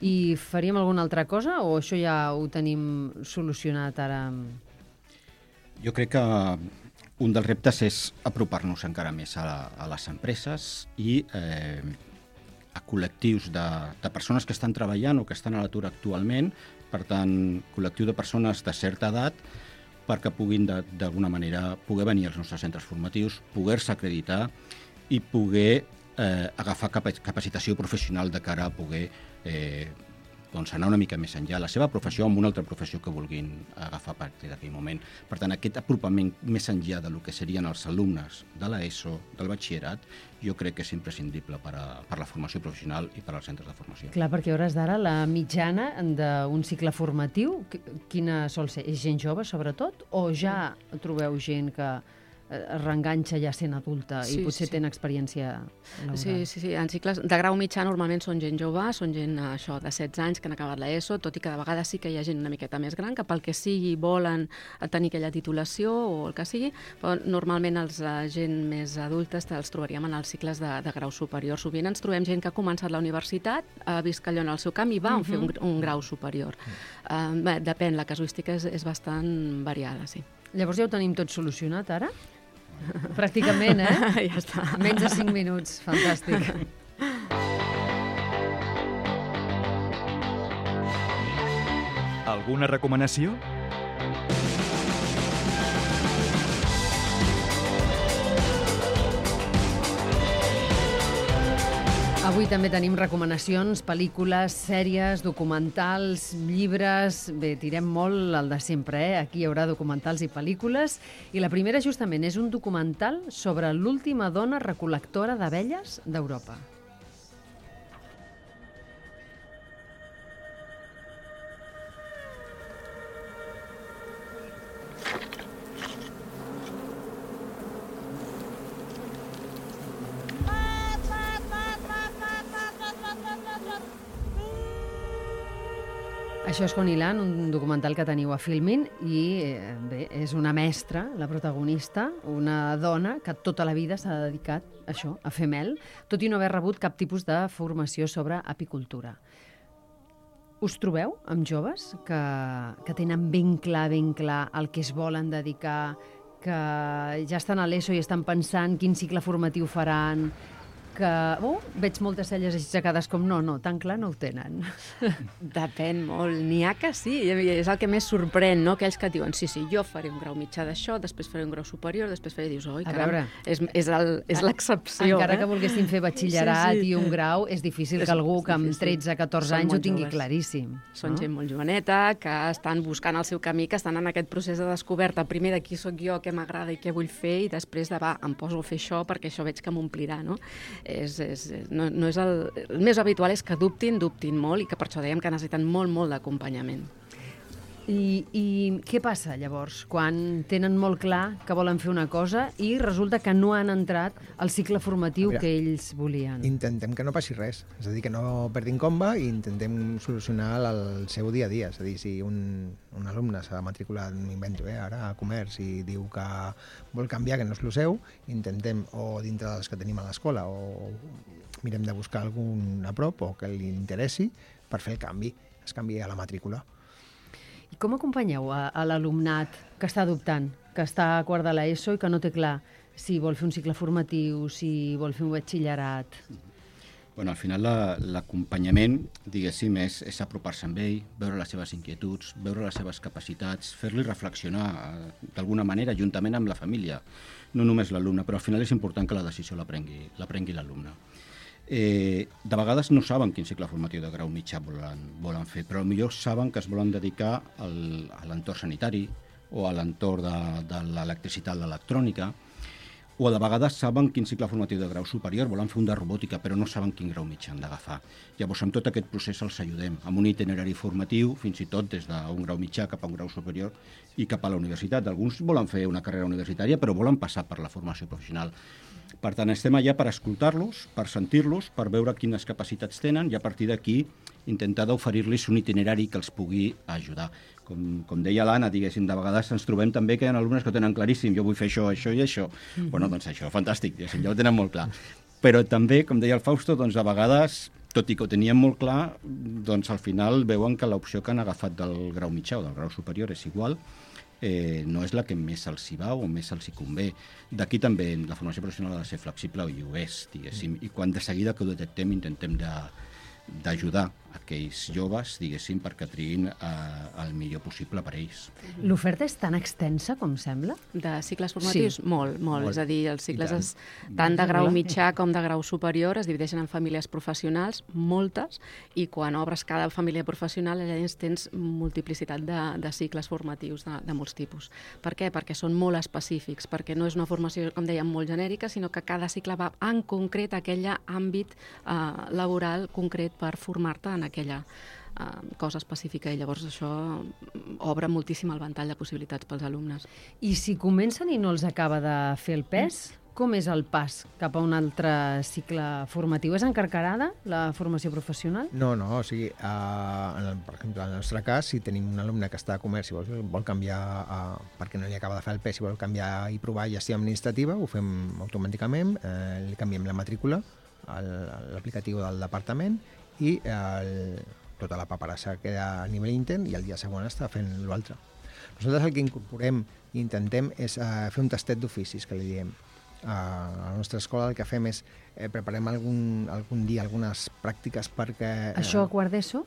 I faríem alguna altra cosa o això ja ho tenim solucionat ara? Jo crec que un dels reptes és apropar-nos encara més a les empreses i a col·lectius de persones que estan treballant o que estan a l'atur actualment, per tant, col·lectiu de persones de certa edat, perquè puguin d'alguna manera poder venir als nostres centres formatius, poder-se acreditar i poder agafar capacitació professional de cara a poder doncs anar una mica més enllà la seva professió amb una altra professió que vulguin agafar a partir d'aquell moment. Per tant, aquest apropament més enllà del que serien els alumnes de l'ESO, del batxillerat, jo crec que és imprescindible per a la formació professional i per als centres de formació. Clar, perquè a hores d'ara la mitjana d'un cicle formatiu, quina sol ser? És gent jove, sobretot? O ja trobeu gent que es reenganxa ja sent adulta i potser tenen experiència laboral? Sí. En cicles de grau mitjà normalment són gent jove, són gent de 16 anys que han acabat l'ESO, tot i que de vegades sí que hi ha gent una miqueta més gran que pel que sigui volen tenir aquella titulació o el que sigui, però normalment els gent més adultes els trobaríem en els cicles de grau superior. Sovint ens trobem gent que ha començat la universitat, ha vist que allò en el seu camp i va fer un grau superior. Depèn, la casuística és bastant variada, sí. Llavors ja ho tenim tot solucionat ara? Pràcticament, Ja està. Menys de 5 minuts, fantàstic. Alguna recomanació? Avui també tenim recomanacions, pel·lícules, sèries, documentals, llibres... Bé, tirem molt el de sempre, Aquí hi haurà documentals i pel·lícules. I la primera, justament, és un documental sobre l'última dona recol·lectora d'abelles d'Europa. Això és Connie Land, un documental que teniu a Filmin, i bé, és una mestra, la protagonista, una dona que tota la vida s'ha dedicat a això, a fer mel, tot i no haver rebut cap tipus de formació sobre apicultura. Us trobeu amb joves que tenen ben clar el que es volen dedicar, que ja estan a l'ESO i estan pensant quin cicle formatiu faran, que veig moltes celles aixecades com no, tan clar no ho tenen. Depèn molt. N'hi ha que sí, és el que més sorprèn, no? Aquells que et diuen, sí, jo faré un grau mitjà d'això, després faré un grau superior, després faré, dius, oi, caram, és l'excepció. Encara que volguessin fer batxillerat i un grau, és difícil que algú que amb 13-14 anys ho tingui claríssim. Són gent molt joveneta, que estan buscant el seu camí, que estan en aquest procés de descoberta, primer de qui sóc jo, què m'agrada i què vull fer, i després de, em poso a fer això perquè això veig que m'omplirà, no? No és el més habitual és que dubtin molt i que per això dèiem que necessiten molt d'acompanyament. I què passa llavors quan tenen molt clar que volen fer una cosa i resulta que no han entrat al cicle formatiu que ells volien? Intentem que no passi res, és a dir, que no perdin comba i intentem solucionar el seu dia a dia. És a dir, si un alumne s'ha matriculat, m'invento, ara a comerç i diu que vol canviar, que no és el seu, intentem, o dintre dels que tenim a l'escola, o mirem de buscar algun a prop o que li interessi per fer el canvi, es canvi a la matrícula. I com acompanyeu a l'alumnat que està dubtant, que està a quart de l'ESO i que no té clar si vol fer un cicle formatiu, si vol fer un batxillerat? Bueno, al final l'acompanyament, diguéssim, és apropar-se amb ell, veure les seves inquietuds, veure les seves capacitats, fer-li reflexionar d'alguna manera juntament amb la família, no només l'alumne, però al final és important que la decisió la prengui l'alumne. De vegades no saben quin cicle formatiu de grau mitjà volen fer, però potser saben que es volen dedicar a l'entorn sanitari o a l'entorn de l'electricitat, l'electrònica, o de vegades saben quin cicle formatiu de grau superior, volen fer un de robòtica, però no saben quin grau mitjà han d'agafar. Llavors, amb tot aquest procés els ajudem, amb un itinerari formatiu, fins i tot des d'un grau mitjà cap a un grau superior i cap a la universitat. Alguns volen fer una carrera universitària, però volen passar per la formació professional. Per tant, estem allà per escoltar-los, per sentir-los, per veure quines capacitats tenen i a partir d'aquí intentar d'oferir-los un itinerari que els pugui ajudar. Com deia l'Anna, diguéssim, de vegades ens trobem també que hi ha alumnes que ho tenen claríssim, jo vull fer això, això i això. Bueno, doncs això, fantàstic, diguéssim, ja ho tenen molt clar. Però també, com deia el Fausto, doncs a vegades, tot i que ho tenien molt clar, doncs al final veuen que l'opció que han agafat del grau mitjà o del grau superior és igual, no és la que més els hi va o més els hi convé. D'aquí també la formació professional ha de ser flexible i ho és, diguéssim, i quan de seguida que ho detectem intentem d'ajudar aquells joves, diguéssim, perquè triïn el millor possible per ells. L'oferta és tan extensa com sembla? De cicles formatius? Sí. Molt. És a dir, els cicles tant de grau mitjà com de grau superior es divideixen en famílies professionals, moltes, i quan obres cada família professional allà tens multiplicitat de cicles formatius de molts tipus. Per què? Perquè són molt específics, perquè no és una formació, com dèiem, molt genèrica, sinó que cada cicle va en concret a aquell àmbit laboral concret per formar-te en aquella cosa específica, i llavors això obre moltíssim el ventall de possibilitats pels alumnes. I si comencen i no els acaba de fer el pes, com és el pas cap a un altre cicle formatiu? És encarcarada la formació professional? No, o sigui, per exemple, en el nostre cas, si tenim un alumne que està a comerç i vol canviar, perquè no li acaba de fer el pes, i vol canviar i provar gestió administrativa, ho fem automàticament, li canviem la matrícula a l'aplicatiu del departament i tota la paperassa queda a nivell intern i el dia següent està fent l'altre. Nosaltres el que incorporem i intentem és fer un tastet d'oficis, que li diem. A la nostra escola el que fem és preparem algun dia algunes pràctiques perquè... Això a quart d'ESO?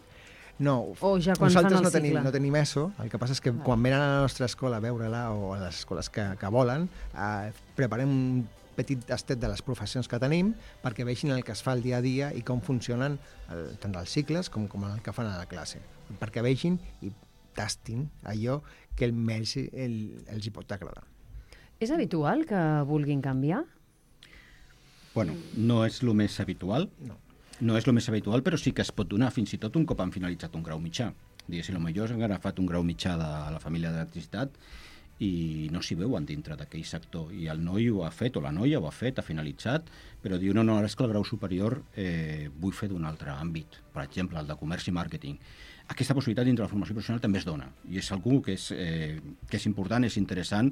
No, o ja quan fan el cicle? No tenim ESO, el que passa és que quan venen a la nostra escola a veure-la o a les escoles que volen, preparem un petit tastet de les professions que tenim perquè vegin el que es fa el dia a dia i com funcionen tant els cicles com el que fan a la classe, perquè vegin i tastin allò que els hi pot agradar. És habitual que vulguin canviar? Bueno, no és el més habitual, no és el més habitual, però sí que es pot donar fins i tot un cop han finalitzat un grau mitjà. Diguéssim, potser han agafat un grau mitjà de la família d'electricitat i no s'hi veuen dintre d'aquell sector, i el noi ho ha fet, o la noia ho ha fet, ha finalitzat, però diu, no, ara és que el grau superior vull fer d'un altre àmbit, per exemple, el de comerç i màrqueting. aquesta possibilitat dintre la formació professional també es dona, i és algú que és important, és interessant,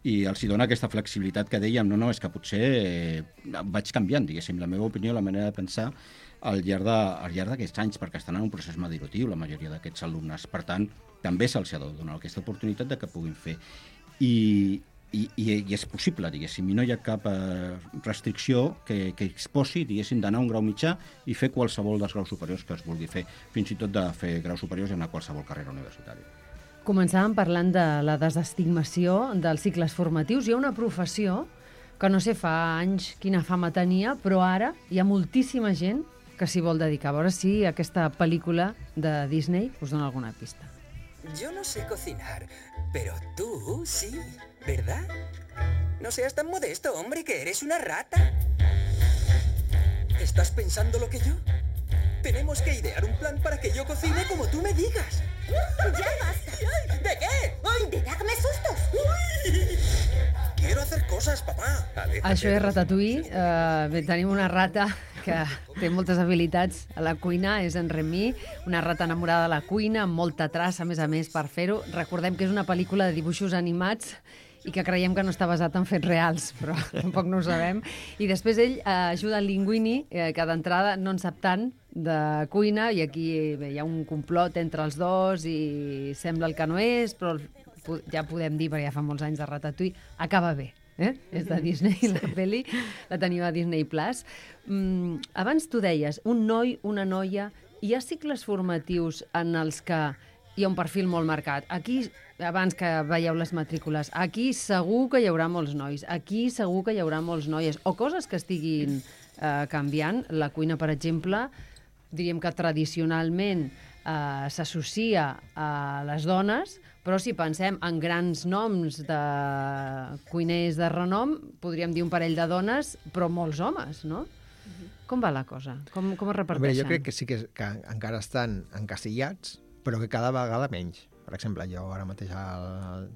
i els hi dona aquesta flexibilitat que dèiem, no, és que potser vaig canviant, diguéssim, la meva opinió, la manera de pensar al llarg d'aquests anys, perquè estan en un procés maduratiu la majoria d'aquests alumnes. Per tant, també se'ls ha de donar aquesta oportunitat de que puguin fer. I és possible, diguéssim, i no hi ha cap restricció que exposi, diguéssim, d'anar a un grau mitjà i fer qualsevol dels graus superiors que es vulgui fer, fins i tot de fer graus superiors i anar a qualsevol carrera universitària. Començàvem parlant de la desestigmació dels cicles formatius. Hi ha una professió que no sé fa anys quina fama tenia, però ara hi ha moltíssima gent que s'hi vol dedicar. A veure si aquesta pel·lícula de Disney us dona alguna pista. Yo no sé cocinar, pero tú sí, ¿verdad? No seas tan modesto, hombre, que eres una rata. ¿Estás pensando lo que yo? Tenemos que idear un plan para que yo cocine como tú me digas. ¡Ya basta! ¿De qué? ¡Ay! ¡De darme sustos! ¡Uy! Quiero hacer cosas, papá. Això és Ratatouille. Bé, tenim una rata que té moltes habilitats a la cuina, és en Remy, una rata enamorada de la cuina, amb molta traça, a més, per fer-ho. Recordem que és una pel·lícula de dibuixos animats i que creiem que no està basat en fets reals, però tampoc no ho sabem. I després ell ajuda en Linguini, que d'entrada no en sap tant de cuina, i aquí bé, hi ha un complot entre els dos i sembla el que no és, però ja podem dir, perquè ja fa molts anys de Ratatouille, acaba bé. És de Disney, la pel·li, la teniu a Disney+. Abans tu deies, un noi, una noia, hi ha cicles formatius en els que hi ha un perfil molt marcat. Aquí, abans que veieu les matrícules, aquí segur que hi haurà molts nois, aquí segur que hi haurà molts noies, o coses que estiguin canviant. La cuina, per exemple, diríem que tradicionalment s'associa a les dones, però si pensem en grans noms de cuiners de renom, podríem dir un parell de dones, però molts homes, no? Com va la cosa? Com es reparteixen? Jo crec que sí que encara estan encasillats, però que cada vegada menys. Per exemple, jo ara mateix,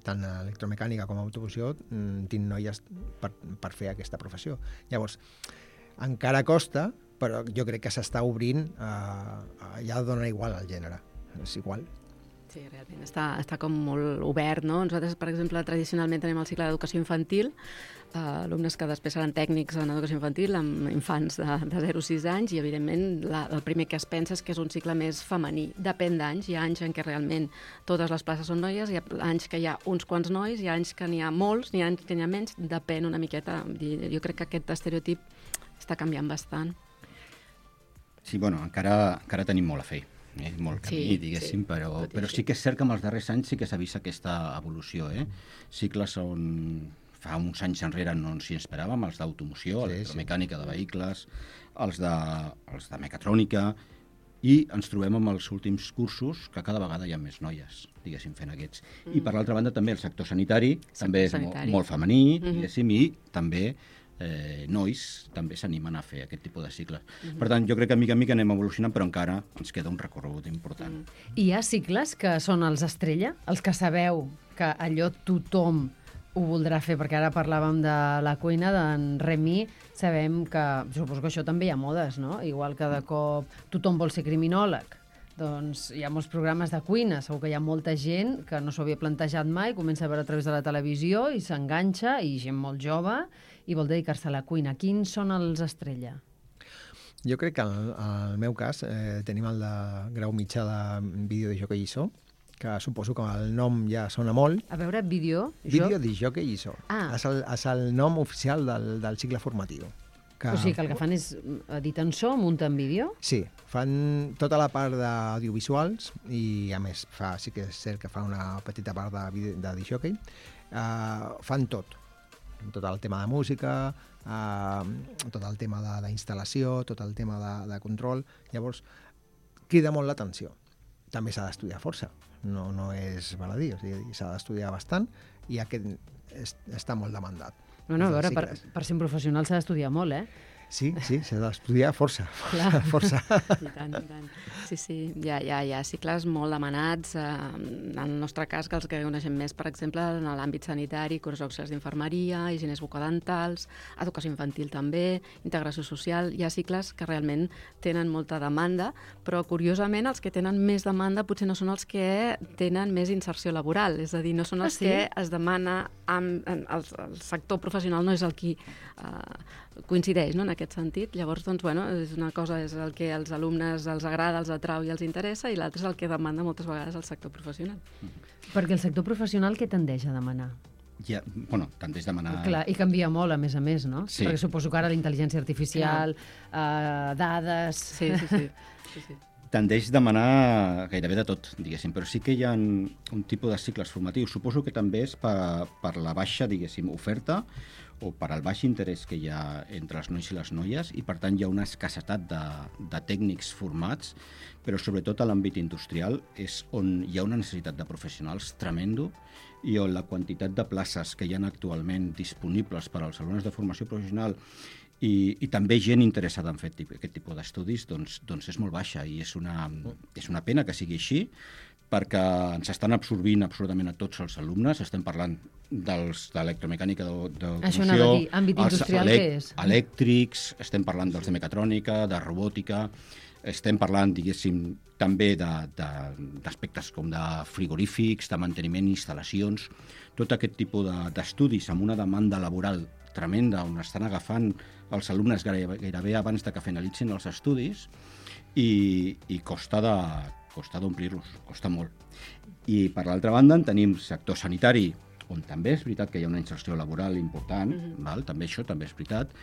tant a electromecànica com a automoció, tinc noies per fer aquesta professió. Llavors, encara costa, però jo crec que s'està obrint, ja dona igual el gènere, és igual. Sí, realment està com molt obert, no? Nosaltres, per exemple, tradicionalment tenim el cicle d'educació infantil, alumnes que després seran tècnics en educació infantil, amb infants de 0 a 6 anys, i evidentment el primer que es pensa és que és un cicle més femení. Depèn d'anys, hi ha anys en què realment totes les places són noies, hi ha anys que hi ha uns quants nois, hi ha anys que n'hi ha molts, hi ha anys que n'hi ha menys, depèn una miqueta. Jo crec que aquest estereotip està canviant bastant. Sí, bueno, encara tenim molt a fer. Molt camí, diguéssim, però sí que és cert que en els darrers anys sí que s'ha vist aquesta evolució. Cicles on fa uns anys enrere no ens hi esperàvem, els d'automoció, electromecànica de vehicles, els de mecatrònica, i ens trobem amb els últims cursos que cada vegada hi ha més noies, diguéssim, fent aquests. I per l'altra banda també el sector sanitari, també és molt femení, diguéssim, i també nois també s'animen a fer aquest tipus de cicles. Per tant, jo crec que mica en mica anem evolucionant, però encara ens queda un recorregut important. Hi ha cicles que són els estrella, els que sabeu que allò tothom ho voldrà fer, perquè ara parlàvem de la cuina d'en Remy, sabem que, suposo que això també hi ha modes, no? Igual que de cop tothom vol ser criminòleg. Doncs hi ha molts programes de cuina, segur que hi ha molta gent que no s'ho havia plantejat mai, comença a veure a través de la televisió i s'enganxa, i gent molt jove, i vol dedicar-se a la cuina. Quins són els estrella? Jo crec que en el meu cas tenim el de grau mitjà de vídeo de jockey ISO, que suposo que el nom ja sona molt. A veure, vídeo de jockey ISO. És el nom oficial del cicle formatiu. O sigui que el que fan és editen so, munten vídeo? Sí, fan tota la part d'audiovisuals i, a més, sí que és cert que fan una petita part de disjockey. Fan tot el tema de música, tot el tema d'instal·lació, tot el tema de control. Llavors, crida molt l'atenció. També s'ha d'estudiar força, no és baladí, o sigui, s'ha d'estudiar bastant, i està molt demandat. Bueno, a veure, Els cicles. per ser un professional s'ha d'estudiar molt, Sí, s'ha d'estudiar força. Clar. Força. I tant, i tant. Sí, hi ha cicles molt demanats. En el nostre cas, que els que coneixem més, per exemple, en l'àmbit sanitari, curs auxiliars d'infermeria, higieners bucodentals, educació infantil també, integració social. Hi ha cicles que realment tenen molta demanda, però curiosament els que tenen més demanda potser no són els que tenen més inserció laboral, és a dir, no són els que es demana, el sector professional no és el qui coincideix, no?, en aquest sentit. Llavors, doncs, bueno, és una cosa és el que als alumnes els agrada, els atrau i els interessa, i l'altre és el que demanda moltes vegades el sector professional. Perquè el sector professional què tendeix a demanar? Ja, bueno, tendeix a demanar... Clar, i canvia molt, a més, no? Sí. Perquè suposo que ara la intel·ligència artificial, dades... Sí. Tendeix a demanar gairebé de tot, diguéssim, però sí que hi ha un tipus de cicles formatius. Suposo que també és per la baixa, diguéssim, oferta o per al baix interès que hi ha entre els nois i les noies, i per tant hi ha una escassetat de tècnics formats, però sobretot a l'àmbit industrial és on hi ha una necessitat de professionals tremendo, i on la quantitat de places que hi ha actualment disponibles per als alumnes de formació professional i també gent interessada en fer aquest tipus d'estudis doncs és molt baixa, i és una pena que sigui així, perquè ens estan absorbint absolutament a tots els alumnes. Estem parlant d'electromecànica, Això anava a dir, àmbit industrial què és? Elèctrics, estem parlant dels de mecatrònica, de robòtica, estem parlant, diguéssim, també d'aspectes com de frigorífics, de manteniment, instal·lacions, tot aquest tipus d'estudis amb una demanda laboral tremenda, on estan agafant els alumnes gairebé abans de que finalitzin els estudis, i costa d'omplir-los, costa molt. I per l'altra banda en tenim sector sanitari, on també és veritat que hi ha una inserció laboral important, també això també és veritat,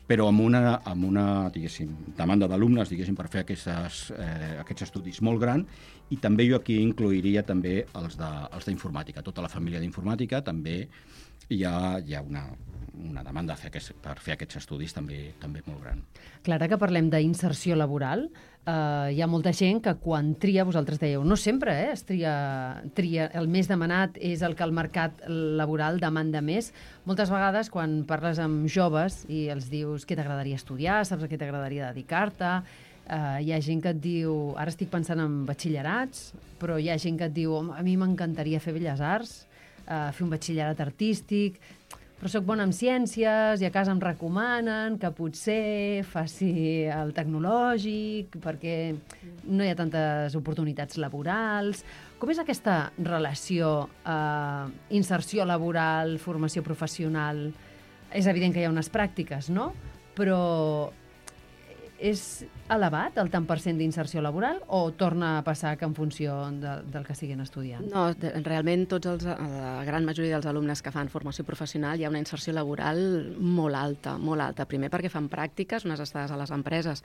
però amb una diguéssim, demanda d'alumnes, diguéssim, per fer aquests estudis molt gran, i també jo aquí incluiria també els d'informàtica. Tota la família d'informàtica també hi ha una demanda per fer aquests estudis també molt gran. Clar, ara que parlem d'inserció laboral, hi ha molta gent que quan tria, vosaltres dèieu, no sempre es tria, el més demanat és el que el mercat laboral demanda més. Moltes vegades quan parles amb joves i els dius què t'agradaria estudiar, saps a què t'agradaria dedicar-te, hi ha gent que et diu, ara estic pensant en batxillerats, però hi ha gent que et diu, a mi m'encantaria fer Belles Arts, fer un batxillerat artístic, però sóc bona en ciències i a casa em recomanen que potser faci el tecnològic perquè no hi ha tantes oportunitats laborals. Com és aquesta relació inserció laboral, formació professional? És evident que hi ha unes pràctiques, no? Però és elevat el tant % d'inserció laboral o torna a passar que en funció del que estiguin estudiant? No, realment la gran majoria dels alumnes que fan formació professional hi ha una inserció laboral molt alta, molt alta. Primer perquè fan pràctiques, unes estades a les empreses,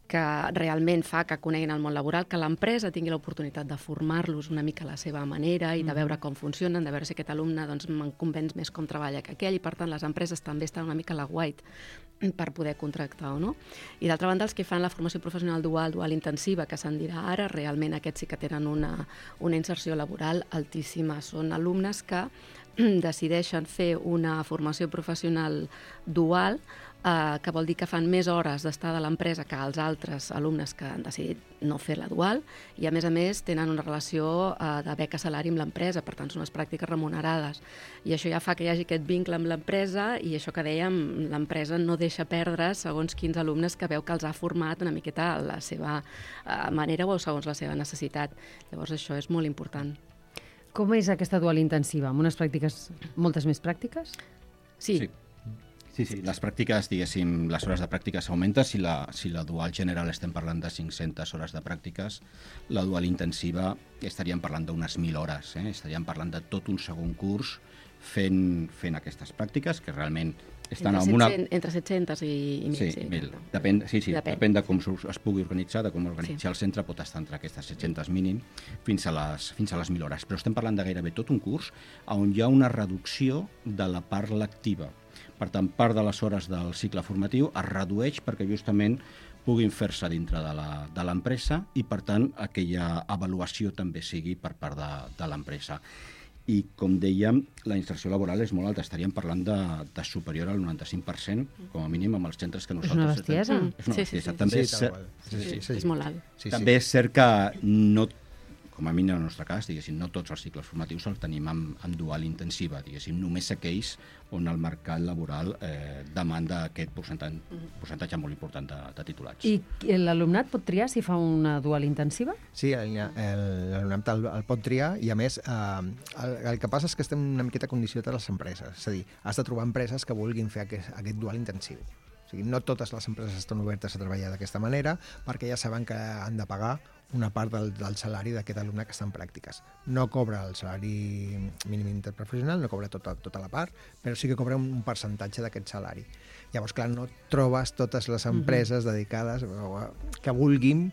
que realment fa que coneguin el món laboral, que l'empresa tingui l'oportunitat de formar-los una mica a la seva manera i de veure com funcionen, de veure si aquest alumne me'n convenç més com treballa que aquell, i per tant les empreses també estan una mica a la guait per poder contractar o no. I d'altra banda, els que fan la formació professional dual intensiva, que se'n dirà ara, realment aquests sí que tenen una inserció laboral altíssima. Són alumnes que decideixen fer una formació professional dual, que vol dir que fan més hores d'estar de l'empresa que els altres alumnes que han decidit no fer la dual, i a més tenen una relació de beca-salari amb l'empresa, per tant són unes pràctiques remunerades, i això ja fa que hi hagi aquest vincle amb l'empresa, i això que dèiem, l'empresa no deixa perdre segons quins alumnes que veu que els ha format una miqueta a la seva manera o segons la seva necessitat. Llavors això és molt important. Com és aquesta dual intensiva? Amb unes pràctiques, moltes més pràctiques? Sí. Les pràctiques, diguéssim, les hores de pràctiques augmenten. Si la dual general estem parlant de 500 hores de pràctiques, la dual intensiva estaríem parlant d'unes 1.000 hores. Estaríem parlant de tot un segon curs fent aquestes pràctiques, que realment estan entre 700 i 1.000. Depèn de com es pugui organitzar, de com organitzar el centre, pot estar entre aquestes 700 mínim fins a les 1.000 hores. Però estem parlant de gairebé tot un curs on hi ha una reducció de la part lectiva. Per tant, part de les hores del cicle formatiu es redueix perquè justament puguin fer-se dintre de l'empresa, i per tant aquella avaluació també sigui per part de l'empresa. i, com dèiem, la inserció laboral és molt alta. Estaríem parlant de superior al 95%, com a mínim, amb els centres que nosaltres... És una bestiesa. És una bestiesa. Sí. També És molt alt. també és cert que no, com a mínim en el nostre cas, diguéssim, no tots els cicles formatius els tenim en dual intensiva, diguéssim, només aquells on el mercat laboral demanda aquest percentatge molt important de titulats. I l'alumnat pot triar si fa una dual intensiva? Sí, l'alumnat el pot triar i, a més, el que passa és que estem una miqueta condicionats a les empreses. És a dir, has de trobar empreses que vulguin fer aquest dual intensiu. O sigui, no totes les empreses estan obertes a treballar d'aquesta manera perquè ja saben que han de pagar una part del salari d'aquest alumne que està en pràctiques. No cobra el salari mínim interprofessional, no cobra tota la part, però sí que cobra un percentatge d'aquest salari. Llavors, clar, no trobes totes les empreses dedicades que vulguin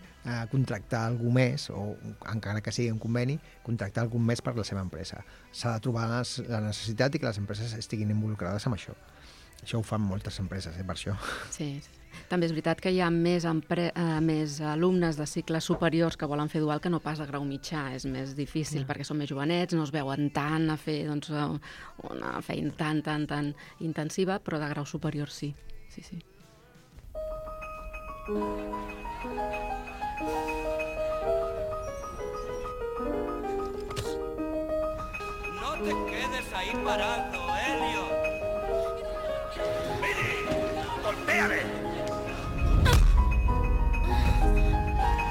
contractar algú més, o encara que sigui un conveni, contractar algú més per la seva empresa. S'ha de trobar la necessitat i que les empreses estiguin involucrades en això. Això ho fan moltes empreses, per això. Sí. També és veritat que hi ha més alumnes de cicles superiors que volen fer dual que no pas de grau mitjà. És més difícil perquè són més jovenets, no es veuen tant a fer una feina tan intensiva, però de grau superior sí. Sí. No te quedes ahí parado, Elliot. ¡Golpéale!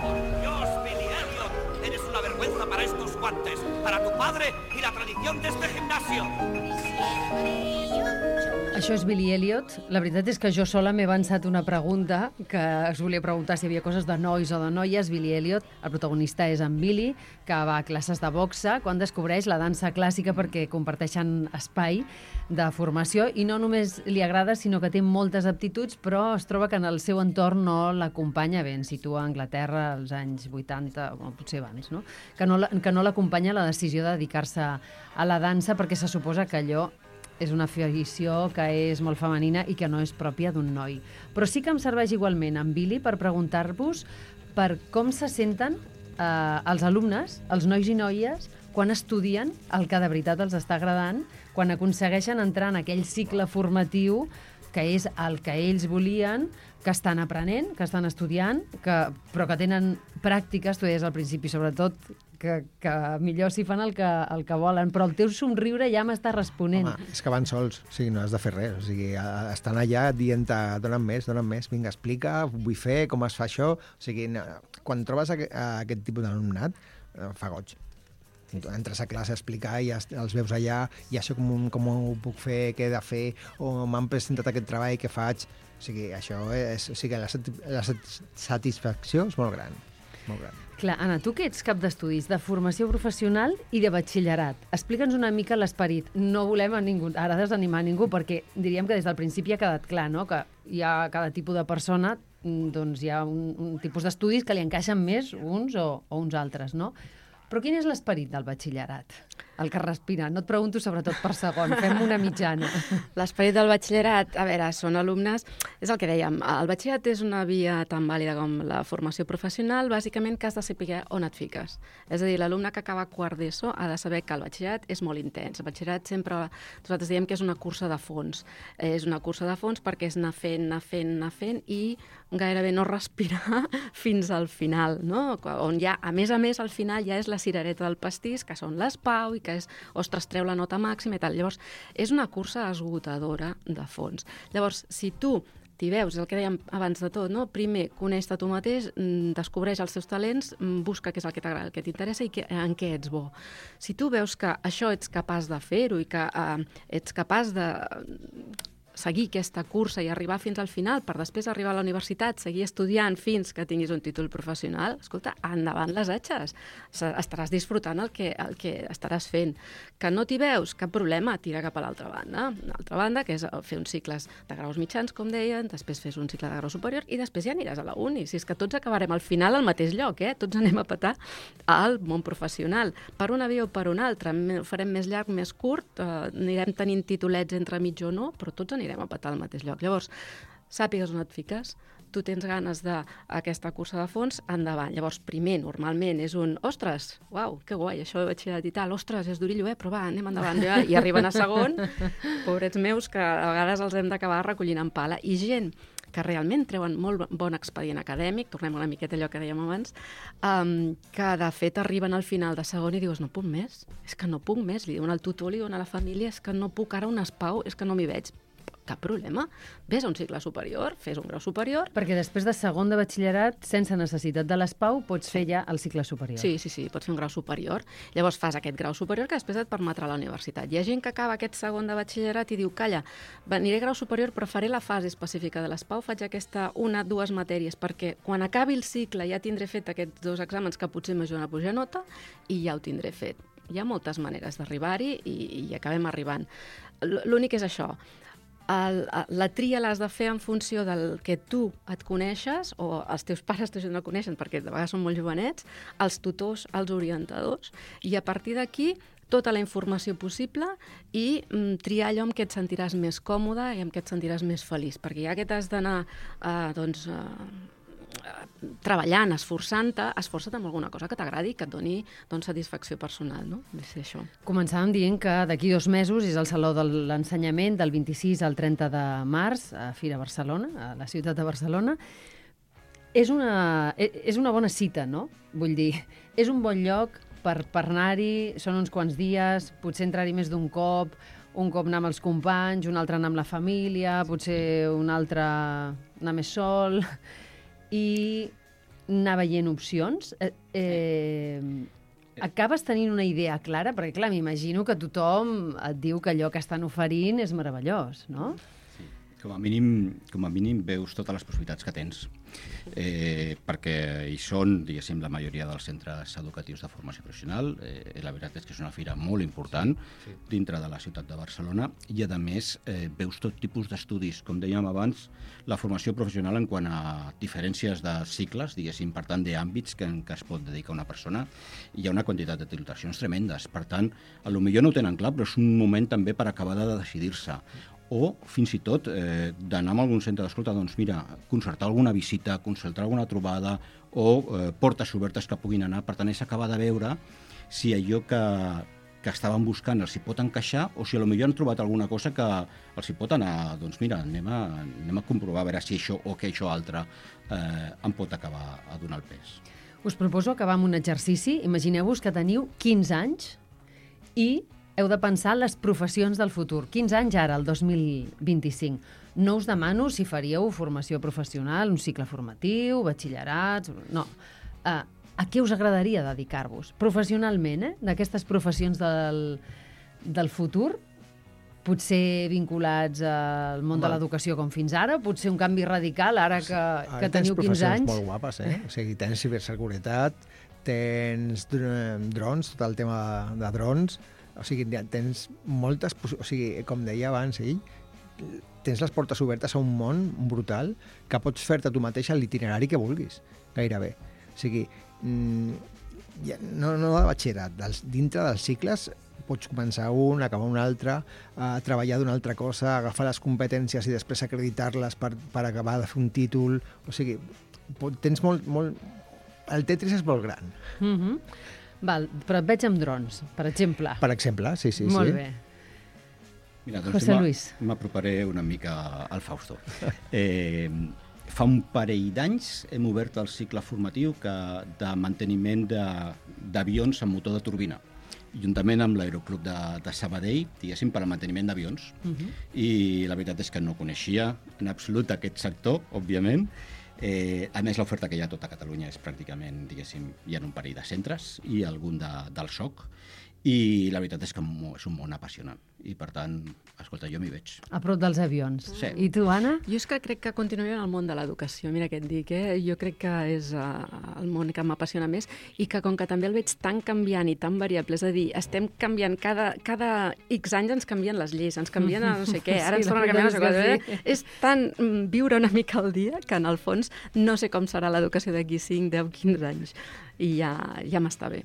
¡Por Dios, Billy Elliot! Eres una vergüenza para estos guantes, para tu padre y la tradición de este gimnasio. Això és Billy Elliot. La veritat és que jo sola m'he avançat una pregunta que es volia preguntar si hi havia coses de nois o de noies. Billy Elliot, el protagonista és en Billy, que va a classes de boxa quan descobreix la dansa clàssica perquè comparteixen espai de formació i no només li agrada, sinó que té moltes aptituds, però es troba que en el seu entorn no l'acompanya bé. Ens situa a Anglaterra als anys 80, o potser abans, no? Que no l'acompanya la decisió de dedicar-se a la dansa perquè se suposa que allò és una afició que és molt femenina i que no és pròpia d'un noi. Però sí que em serveix igualment en Billy per preguntar-vos per com se senten els alumnes, els nois i noies, quan estudien el que de veritat els està agradant, quan aconsegueixen entrar en aquell cicle formatiu que és el que ells volien, que estan aprenent, que estan estudiant, però que tenen pràctiques, tu deies al principi, sobretot, que millor si fan el que volen, però el teu somriure ja m'està responent. Home, és que van sols, o sigui, no has de fer res, o sigui, estan allà dient-te, dona'm més, vinga, explica, vull fer, com es fa això, o sigui, quan trobes aquest tipus d'alumnat, fa goig. Entres a classe a explicar i els veus allà, i això com ho puc fer, què he de fer, o m'han presentat aquest treball, què faig, o sigui, això és, o sigui, la satisfacció és molt gran, molt gran. Clar, Anna, tu que ets cap d'estudis de formació professional i de batxillerat, explica'ns una mica l'esperit. No volem ara desanimar a ningú, perquè diríem que des del principi ha quedat clar, no?, que hi ha cada tipus de persona, doncs hi ha un tipus d'estudis que li encaixen més uns o uns altres, no? Però quin és l'esperit del batxillerat? El que respira. No et pregunto sobretot per segon, fem una mitjana. L'esperit del batxillerat, a veure, són alumnes... És el que dèiem, el batxillerat és una via tan vàlida com la formació professional, bàsicament que has de saber on et fiques. És a dir, l'alumne que acaba quart d'ESO ha de saber que el batxillerat és molt intens. El batxillerat sempre... Nosaltres diem que és una cursa de fons. És una cursa de fons perquè és anar fent i gairebé no respirar fins al final, no? On ja, a més, al final ja és la cirereta del pastís, que són les PAU i que és, ostres, treu la nota màxima i tal. Llavors, és una cursa esgotadora de fons. Llavors, si tu t'hi veus, és el que dèiem abans de tot, no? Primer, coneix-te tu mateix, descobreix els teus talents, busca què és el que t'agrada, el que t'interessa i en què ets bo. Si tu veus que això ets capaç de fer-ho i que ets capaç de seguir aquesta cursa i arribar fins al final per després arribar a la universitat, seguir estudiant fins que tinguis un títol professional, escolta, endavant les atxes. Estaràs disfrutant el que estaràs fent. Que no t'hi veus, cap problema, tira cap a l'altra banda. L'altra banda, que és fer uns cicles de graus mitjans, com deien, després fes un cicle de grau superior i després ja aniràs a la uni. Si és que tots acabarem al final al mateix lloc, tots anem a petar al món professional. Per una via o per una altra, ho farem més llarg, més curt, anirem tenint titulets entre mig o no, però tots anirem a petar al mateix lloc. Llavors, sàpigues on et fiques, tu tens ganes d'aquesta cursa de fons, endavant. Llavors, primer, normalment, és un, ostres, uau, que guai, això de batxillerat i tal, ostres, és durillo, però va, anem endavant. I arriben a segon, pobrets meus, que a vegades els hem d'acabar recollint en pala. I gent que realment treuen molt bon expedient acadèmic, tornem una miqueta allò que dèiem abans, que de fet arriben al final de segon i dius, no puc més, és que no puc més, li diuen al tutor, li diuen a la família, és que no puc ara un espau, és que no m'hi veig. Cap problema. Ves a un cicle superior, fes un grau superior. Perquè després de segon de batxillerat, sense necessitat de l'ESPAU, pots fer ja el cicle superior. Sí, pots fer un grau superior. Llavors fas aquest grau superior que després et permetrà la universitat. Hi ha gent que acaba aquest segon de batxillerat i diu, calla, aniré a grau superior però faré la fase específica de l'ESPAU, faig aquesta 1-2 matèries, perquè quan acabi el cicle ja tindré fet aquests 2 exàmens que potser m'ajuden a pujar nota i ja ho tindré fet. Hi ha moltes maneres d'arribar-hi i acabem arribant. L'únic és això. La tria l'has de fer en funció del que tu et coneixes, o els teus pares no coneixen, perquè de vegades són molt jovenets, els tutors, els orientadors, i a partir d'aquí tota la informació possible i triar allò amb què et sentiràs més còmode i amb què et sentiràs més feliç, perquè ja que t'has d'anar treballant, esforçant-te, esforça't amb alguna cosa que t'agradi i que et doni satisfacció personal, no? De ser això. Començàvem dient que d'aquí 2 mesos és el Saló de l'Ensenyament del 26 al 30 de març a Fira Barcelona, a la ciutat de Barcelona. És una bona cita, no? Vull dir, és un bon lloc per anar-hi, són uns quants dies, potser entrar-hi més d'un cop, un cop anar amb els companys, un altre anar amb la família, potser un altre anar més sol, i anar veient opcions. Acabes tenint una idea clara? Perquè, clar, m'imagino que tothom et diu que allò que estan oferint és meravellós, no? Sí. Com a mínim veus totes les possibilitats que tens. Perquè hi són, diguéssim, la majoria dels centres educatius de formació professional. La veritat és que és una fira molt important dintre de la ciutat de Barcelona i, a més, veus tot tipus d'estudis. Com dèiem abans, la formació professional en quant a diferències de cicles, diguéssim, per tant, d'àmbits que es pot dedicar una persona, hi ha una quantitat de titulacions tremendes. Per tant, potser no ho tenen clar, però és un moment també per acabar de decidir-se. O, fins i tot, d'anar a algun centre d'escolta, doncs mira, concertar alguna visita, concertar alguna trobada o portes obertes que puguin anar. Per tant, és acabar de veure si allò que estaven buscant els hi pot encaixar o si potser han trobat alguna cosa que els hi pot anar, doncs mira, anem a comprovar a veure si això o que això altre em pot acabar a donar el pes. Us proposo acabar amb un exercici. Imagineu-vos que teniu 15 anys i heu de pensar les professions del futur. 15 anys ara, el 2025. No us demano si faríeu formació professional, un cicle formatiu, batxillerats... No. A què us agradaria dedicar-vos? Professionalment, d'aquestes professions del futur, potser vinculats al món de l'educació com fins ara, potser un canvi radical ara que teniu 15 anys. Tens professions molt guapes, O sigui, tens ciberseguretat, tens drons, tot el tema de drons, o sigui, tens moltes... O sigui, com deia abans ell, tens les portes obertes a un món brutal que pots fer-te tu mateix l'itinerari que vulguis, gairebé. O sigui, no de batxillerat, dintre dels cicles pots començar un, acabar un altre, treballar d'una altra cosa, agafar les competències i després acreditar-les per acabar de fer un títol. O sigui, tens molt... El Tetris és molt gran. Val, però et veig amb drons, per exemple. Per exemple, sí. Molt bé. Mira, doncs José Luis. M'aproparé una mica al Fausto. Fa un parell d'anys hem obert el cicle formatiu de manteniment d'avions amb motor de turbina, juntament amb l'Aeroclub de Sabadell, diguéssim, per al manteniment d'avions. I la veritat és que no coneixia en absolut aquest sector, òbviament. A més, l'oferta que hi ha a tota Catalunya és pràcticament, diguéssim, hi ha un parell de centres i algun del SOC, i la veritat és que és un món apassionant. I, per tant, escolta, jo m'hi veig. A prop dels avions. Sí. I tu, Anna? Jo és que crec que continuaré en el món de l'educació. Mira què et dic, Jo crec que és el món que m'apassiona més i que com que també el veig tan canviant i tan variable, és a dir, estem canviant, cada X anys ens canvien les lleis, ens canvien a no sé què, ara ens tornen a canviar no sé què. És tan viure una mica al dia que, en el fons, no sé com serà l'educació d'aquí 5, 10, 15 anys. I ja m'està bé.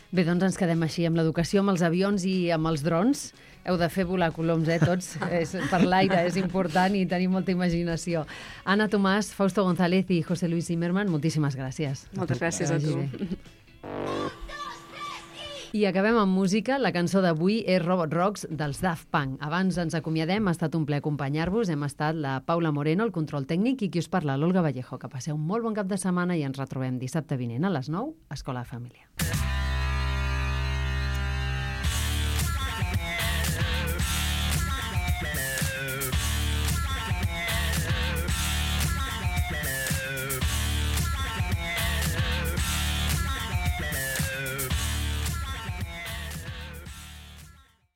Bé, doncs ens quedem així amb l'educació, amb els avions i amb els drons. Heu de fer volar coloms, tots. Per l'aire és important i tenir molta imaginació. Anna Tomàs, Fausto González i José Luis Zimmerman, moltíssimes gràcies. Moltes gràcies a tu. I acabem amb música. La cançó d'avui és Robot Rocks dels Daft Punk. Abans ens acomiadem, ha estat un plaer acompanyar-vos. Hem estat la Paula Moreno, el control tècnic, i qui us parla, l'Olga Vallejo. Que passeu un molt bon cap de setmana i ens retrobem dissabte vinent a les 9 a Escola de Família.